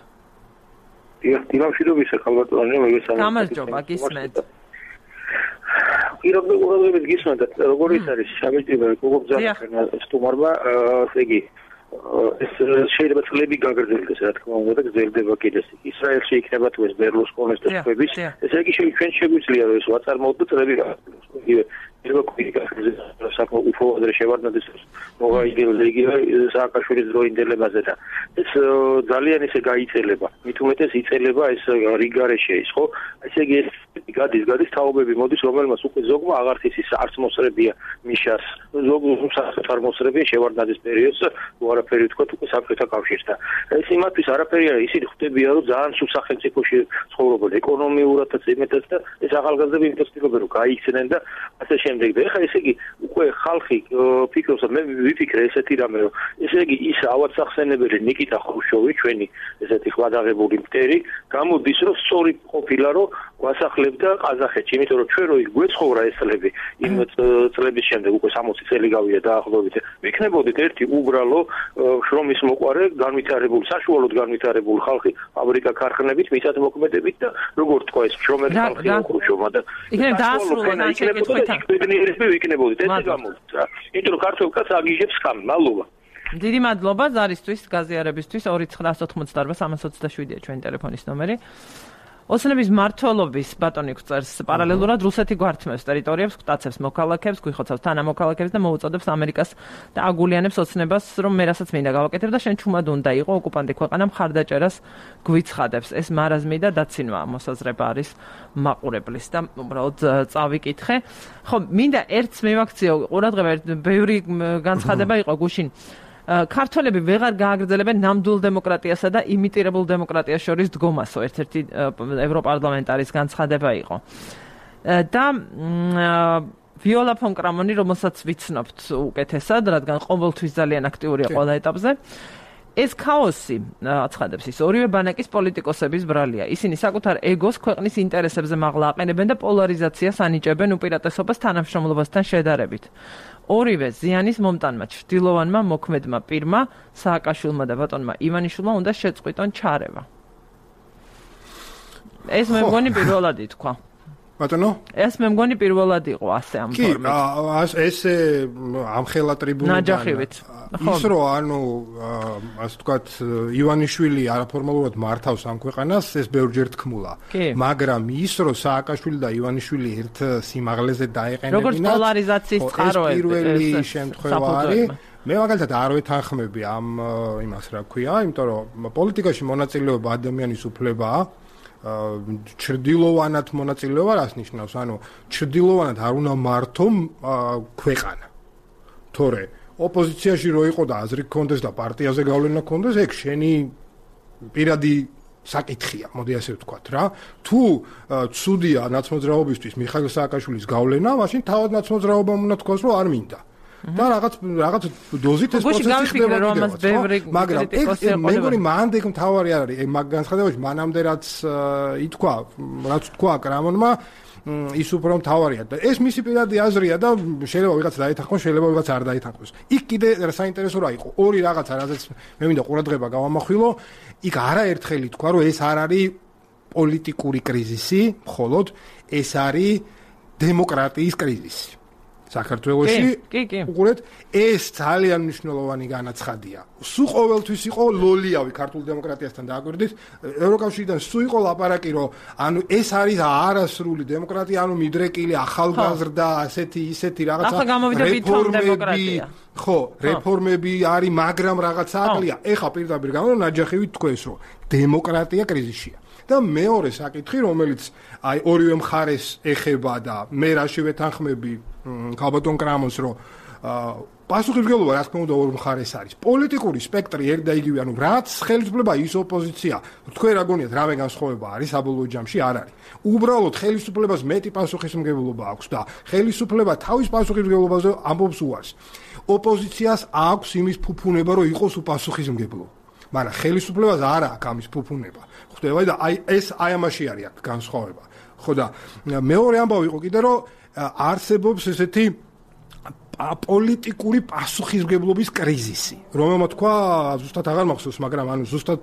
დილამშვიდობის ხალბატონი მოგესალმებით გამარჯობა გისმენთ პირობ უყურებლებს გისმენთ როგორ ის არის შაბეჭდება როგორ ძალა სტუმარმა ესე იგი ეს შეიძლება წლები გაგრძელდეს რა თქმა უნდა და გრძელდება კიდეც ისრაელში იქნება თუ ეს ბერლუსკონის და სხვების ესე იგი ჩვენ შეგვიძლია რომ ეს ვაწარმოოთ და წლები გაგრძელდეს იგივე ევროკრიტიკაზე საკმაოდ უფროადრე შევარდნადეს მოვაიგებს იგივე სააკაშვილის დროინდელებაზე და ეს ძალიან ისე გაიწელება მით უმეტეს იწელება ეს რიგარეშე ის ხო ესე იგი ეს გადის გადის თაობები მოდის რომელმაც უკვე ზოგმა აღარც ის არც მოსრებია მიშას ზოგ არ მოსრებია შევარდნადეს პერიოდს არაფერი თქვა უკვე საბჭოთა კავშირს და ეს იმათთვის არაფერი არის ისინი ხვდებიან რომ ძალიან სულ სახელმწიფოში ცხოვრობენ ეკონომიურადაც იმედაც და ეს ახალგაზრდები ინტერესდებიან რომ გაიქცნენ და ასე შემდეგ და ეხლა ესე იგი უკვე ხალხი ფიქრობს მე ვიფიქრე ესეთი რამე რომ ესე იგი ის ავადსახსენებელი ნიკიტა ხრუშოვი ჩვენი ესეთი ხვადაღებული მტერი გამოდის რომ სწორი ყოფილა რომ ვასახლებდა ყაზახეთში იმიტომ რომ ჩვენ რო იქ გვეცხოვრა ეს წლები იმ წლების შემდეგ უკვე სამოცი წელი გავიდა დაახლოებით ვიქნებოდით ერთი უბრალო შრომის მოყარე განვითარებული საშუალოდ განვითარებული ხალხი ფაბრიკა ქარხნებით მიწათმოქმედებით და როგორ თქვა ეს შრომელი ხალხი ხრუშოვმა და იქნებ დაასრულა შეკითხვით ბედნიერები ვიქნებოდით ეს გამოდის რა იმიტომ რომ ქართულ კაცს აგიჟებს ხამ მალობა დიდი მადლობა ზარისთვის გაზიარებისთვის ორი ცხრა ოთხმოცდაოთხ სამას ოცდაშვიდია ჩვენი ტელეფონის ნომერი ოცნების მმართველობის ბატონი გვწერს პარალელურად რუსეთი გვართმევს ტერიტორიებს, გვტაცებს მოქალაქეებს, გვიხოცავს თანამოქალაქეებს და მოუწოდებს ამერიკას და აგულიანებს ოცნებას, რომ მე რასაც მინდა გავაკეთებ და შენ ჩუმად უნდა იყო ოკუპანტი ქვეყანა მხარდაჭერას გვიცხადებს. ეს მარაზმი და დაცინვა მოსაზრება არის მაყურებლის და უბრალოდ წავიკითხე. ხო, მინდა ერთს მივაქციო ყურადღება, ბევრი განცხადება იყო გუშინ. ქართველები ვეღარ გააგრძელებენ ნამდვილ დემოკრატიასა და იმიტირებულ დემოკრატიას შორის დგომასო ერთ-ერთი ევროპარლამენტარის განცხადება იყო. და ვიოლა ფონ კრამონი, რომელსაც ვიცნობთ უკეთესად, რადგან ყოველთვის ძალიან აქტიურია ყველა ეტაპზე. ეს ქაოსი, აცხადებს ის, ორივე ბანაკის პოლიტიკოსების ბრალია. ისინი საკუთარ ეგოს ქვეყნის ინტერესებზე მაღლა აყენებენ და პოლარიზაციას ანიჭებენ უპირატესობას თანამშრომლობასთან შედარებით. ორივე ზიანის მომტანმა ჩრდილოვანმა მოქმედმა პირმა, სააკაშვილმა და ბატონმა ივანიშვილმა უნდა შეწყვიტონ ჩარევა. ეს მე მგონი პირველად ითქვა. ბატონო? ეს მე მგონი პირველად იყო ასე ამ ფორმით. კი, ესე ამხელა ტრიბუნიდან. ის რომ ანუ ასე ვთქვათ ივანიშვილი არაფორმალურად მართავს ამ ქვეყანას, ეს ბევრჯერ თქმულა. მაგრამ ის რომ სააკაშვილი და ივანიშვილი ერთ სიმაღლეზე დაეყენებინათ. როგორც პოლარიზაციის წყაროები. ეს პირველი შემთხვევა არის. მე მაგალითად არ ვეთანხმები ამ იმას რა ქვია, იმიტომ რომ პოლიტიკაში მონაწილეობა ადამიანის უფლებაა. ჩრდილოვანად მონაწილეობა რას ნიშნავს? ანუ ჩრდილოვანად არ უნდა მართო ქვეყანა. თორე ოპოზიციაში რო იყო და აზრი გქონდეს და პარტიაზე გავლენა გქონდეს, ეგ შენი პირადი საკითხია, მოდი ასე ვთქვათ რა. თუ ცუდია ნაცმოძრაობისთვის მიხაილ სააკაშვილის გავლენა, მაშინ თავად ნაცმოძრაობამ უნდა თქვას, რომ არ მინდა. და რაღაც რაღაც დოზით ეს პროცესი ხდება კიდევ. მაგრამ ეგ მე მგონი მანდ ეგ მთავარი არ არის. ეგ მაგ განცხადებაში მანამდე რაც ითქვა, რაც თქვა კრამონმა, ის უფრო მთავარია და ეს მისი პირადი აზრია და შეიძლება ვიღაც დაეთანხმოს, შეიძლება ვიღაც არ დაეთანხმოს. იქ კიდე საინტერესო რა იყო, ორი რაღაცა, რაზეც მე მინდა ყურადღება გავამახვილო, იქ არაერთხელ ითქვა, რომ ეს არ არის პოლიტიკური კრიზისი, მხოლოდ ეს არის დემოკრატიის კრიზისი. საქართველოში უყურეთ ეს ძალიან მნიშვნელოვანი განაცხადია. სულ ყოველთვის იყო ლოლიავი ქართულ დემოკრატიასთან დააკვირდით. ევროკავშირიდან სულ იყო ლაპარაკი, რომ ანუ ეს არის არასრული დემოკრატია, ანუ მიდრეკილი ახალგაზრდა, ასეთი ისეთი რაღაცა რეფორმები. ხო, რეფორმები არის, მაგრამ რაღაცა აკლია. ეხა პირდაპირ გამო ნაჯახივით თქვენს, რომ დემოკრატია კრიზისშია. და მეორე საკითხი, რომელიც აი ორივე მხარეს ეხება და მე რაში ვეთანხმები ქალბატონ კრამონს, რომ პასუხისმგებლობა რა თქმა უნდა ორ მხარეს არის. პოლიტიკური სპექტრი ერთ და იგივე, ანუ რაც ხელისუფლება ის ოპოზიცია. თქვენ რა გონიათ, რამე განსხვავება არის საბოლოო ჯამში? არ არის. უბრალოდ ხელისუფლებას მეტი პასუხისმგებლობა აქვს და ხელისუფლება თავის პასუხისმგებლობაზე ამბობს უარს. ოპოზიციას აქვს იმის ფუფუნება, რომ იყოს უპასუხისმგებლო. მაგრამ ხელისუფლებას არ აქვს ამის ფუფუნება. ხვდება და აი ეს აი ამაში არის აქ განსხვავება. ხო და მეორე ამბავი იყო კიდე რომ არსებობს ესეთი პოლიტიკური პასუხისმგებლობის კრიზისი, რომელმაც თქვა ზუსტად აღარ მახსოვს, მაგრამ ანუ ზუსტად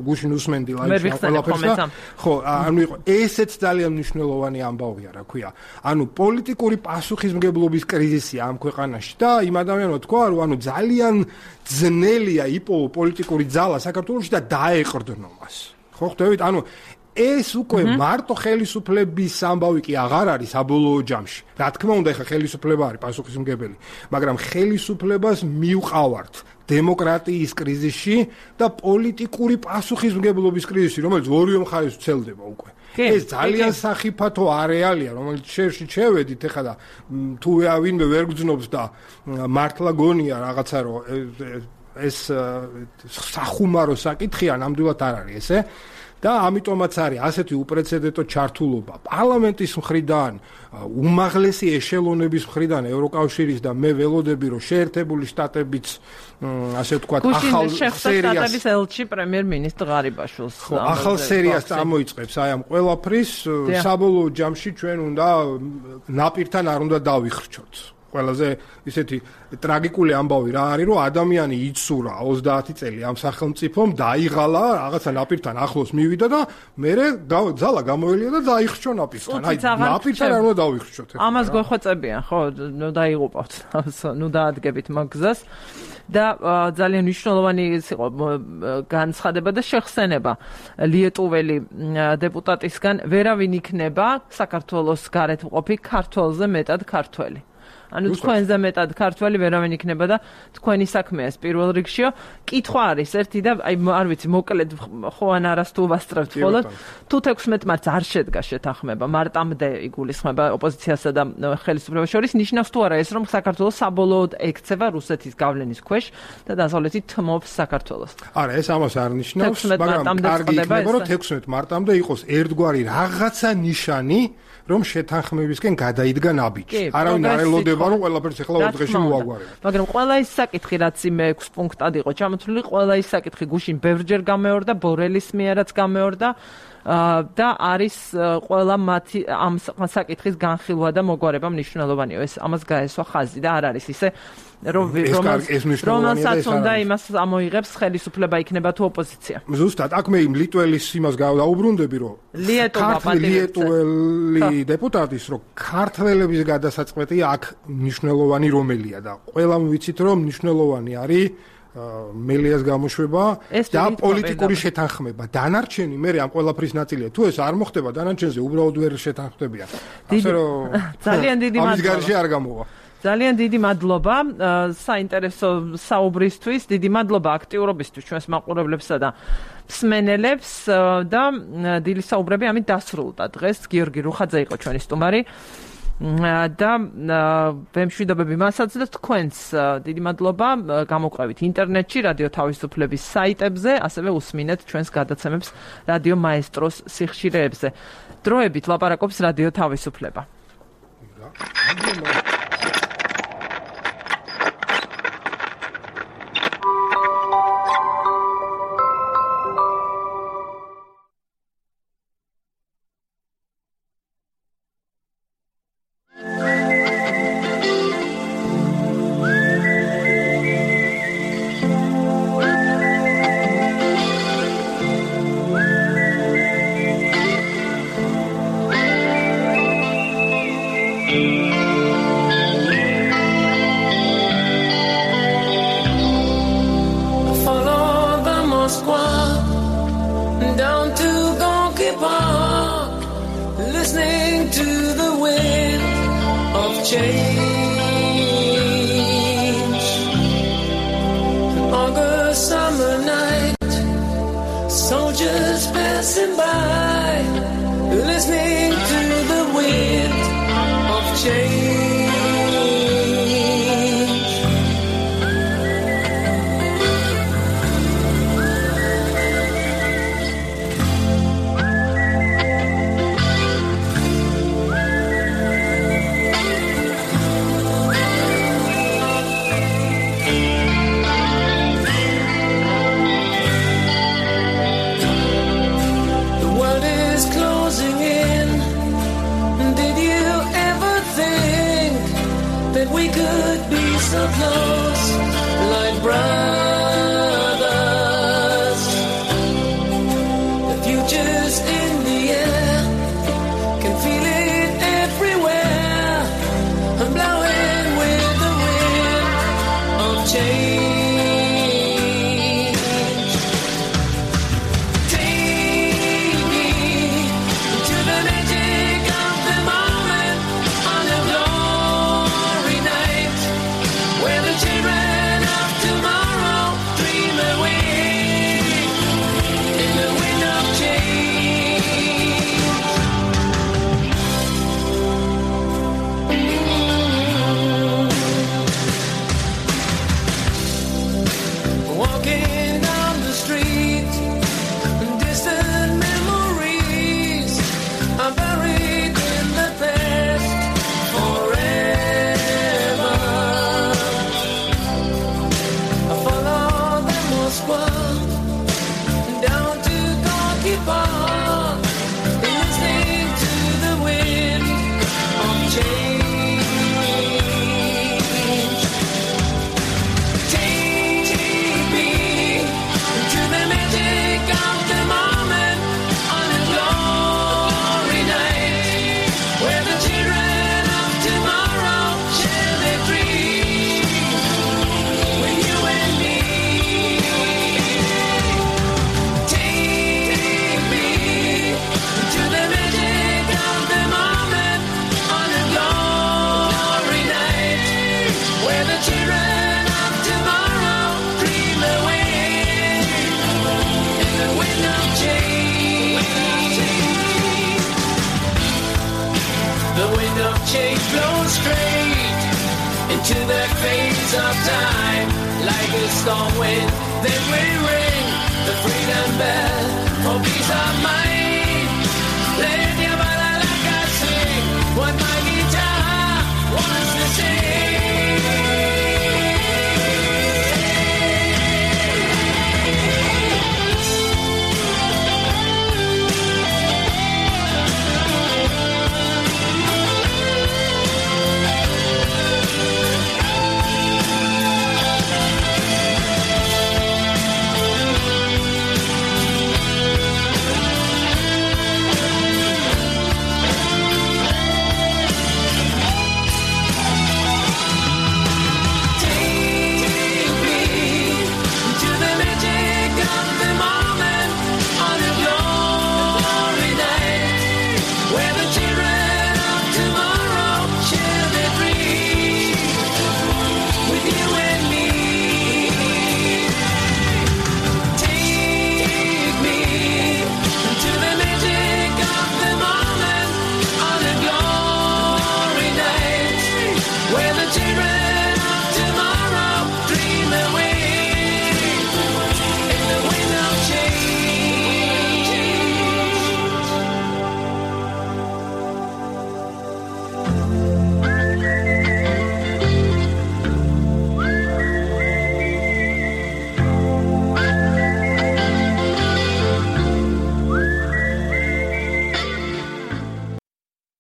გუშინ უსმენდი ლაივში ყველაფერს და ხო, ანუ იყო ესეც ძალიან მნიშვნელოვანი ამბავია, რა ქვია. ანუ პოლიტიკური პასუხისმგებლობის კრიზისია ამ ქვეყანაში და იმ ადამიანმა თქვა, რომ ანუ ძალიან ძნელია იპოვო პოლიტიკური ძალა საქართველოში და დაეყრდნო მას. ხო, ხვდებით? ანუ ეს უკვე მარტო ხელისუფლების ამბავი კი აღარ არის საბოლოო ჯამში. რა თქმა უნდა, ეხა ხელისუფლება არის პასუხისმგებელი, მაგრამ ხელისუფლებას მივყავართ დემოკრატიის კრიზისში და პოლიტიკური პასუხისმგებლობის კრიზისში, რომელიც ორივე მხარეს ვრცელდება უკვე. ეს ძალიან სახიფათო არეალია, რომელიც შერში შევედით ეხა და თუ ვინმე ვერ გძნობს და მართლა გონია რაღაცა რომ ეს სახუმარო საკითხია, ნამდვილად არ არის ესე. და ამიტომაც არის ასეთი უპრეცედენტო ჩართულობა პარლამენტის მხრიდან, უმაღლესი ეშელონების მხრიდან, ევროკავშირის და მე ველოდები, რომ შეერთებული შტატებიც ასე ვთქვათ, ახალ სერიას შეხსატების ელჩი პრემიერ-მინისტრ ღარიბაშვილს ახალ სერიას წამოიწყებს აი ამ ყველაფრის საბოლოო ჯამში ჩვენ უნდა ნაპირთან არ უნდა დავიხრჩოთ. ყველაზე ისეთი ტრაგიკული ამბავი რა არის, რომ ადამიანი იცურა ოცდაათი წელი ამ სახელმწიფომ, დაიღალა, რაღაცა ნაპირთან ახლოს მივიდა და მერე ძალა გამოელია და დაიხრჩო ნაპირთან. აი, ნაპირთან არ უნდა დავიხრჩოთ. ამას გვეხვეწებიან, ხო, ნუ დაიღუპავთ, ნუ დაადგებით მაგ გზას. და ძალიან მნიშვნელოვანი იყო განცხადება და შეხსენება ლიეტუველი დეპუტატისგან, ვერავინ იქნება საქართველოს გარეთ მყოფი ქართველზე მეტად ქართველი. ანუ თქვენზე მეტად ქართველი ვერავინ იქნება და თქვენი საქმეა ეს პირველ რიგშიო. კითხვა არის ერთი და აი არ ვიცი მოკლედ ხო ან არას თუ ვასწრებთ ხოლმე. თუ თექვსმეტ მარტს არ შედგა შეთანხმება, მარტამდე იგულისხმება ოპოზიციასა და ხელისუფლებას შორის, ნიშნავს თუ არა ეს რომ საქართველოს საბოლოოდ ექცევა რუსეთის გავლენის ქვეშ და დასავლეთი თმობს საქართველოს. არა, ეს ამას არ ნიშნავს, მაგრამ კარგი იქნება რომ თექვსმეტ მარტამდე იყოს ერთგვარი რაღაცა ნიშანი, რომ შეთანხმებისკენ გადაიდგა ნაბიჯი. არავინ არ ელოდება რომ ყველაფერს ახლა ორ დღეში მოაგვარებთ. მაგრამ ყველა ის საკითხი რაც იმე ექვს პუნქტად იყო ჩამოთვლილი, ყველა ის საკითხი გუშინ ბევრჯერ გამეორდა, ბორელის მიერაც გამეორდა და არის ყველა მათი ამ საკითხის განხილვა და მოგვარება მნიშვნელოვანია. ეს ამას გაესვა ხაზი და არ არის ისე რომ რომელსაც უნდა იმას ამოიღებს ხელისუფლება იქნება თუ ოპოზიცია. ზუსტად, აქ მე იმ ლიტველის იმას გავდაუბრუნდები, რომ ლიტველი დეპუტატის, რომ ქართველების გადასაწყვეტია აქ მნიშვნელოვანი რომელია და ყველამ ვიცით, რომ მნიშვნელოვანი არის მელიას გამოშვება და პოლიტიკური შეთანხმება. დანარჩენი მე ამ ყველაფრის ნაწილია. თუ ეს არ მოხდება, დანარჩენზე უბრალოდ ვერ შეთანხმდებიან. ასე რომ ძალიან დიდი მადლობა. ამის გარშე არ გამოვა. ძალიან დიდი მადლობა საინტერესო საუბრისთვის, დიდი მადლობა აქტიურობისთვის ჩვენს მაყურებლებსა და მსმენელებს და დილის საუბრები ამით დასრულდა. დღეს გიორგი რუხაძე იყო ჩვენი სტუმარი და ვემშვიდობები მასაც და თქვენს დიდი მადლობა გამოყევით ინტერნეტში, რადიო თავისუფლების საიტებზე, ასევე უსმინეთ ჩვენს გადაცემებს რადიო მაესტროს სიხშირეებზე. დროებით ლაპარაკობს რადიო თავისუფლება. Change blows straight into the phase of time, like a storm wind. Then we ring the freedom bell for peace of mind. Let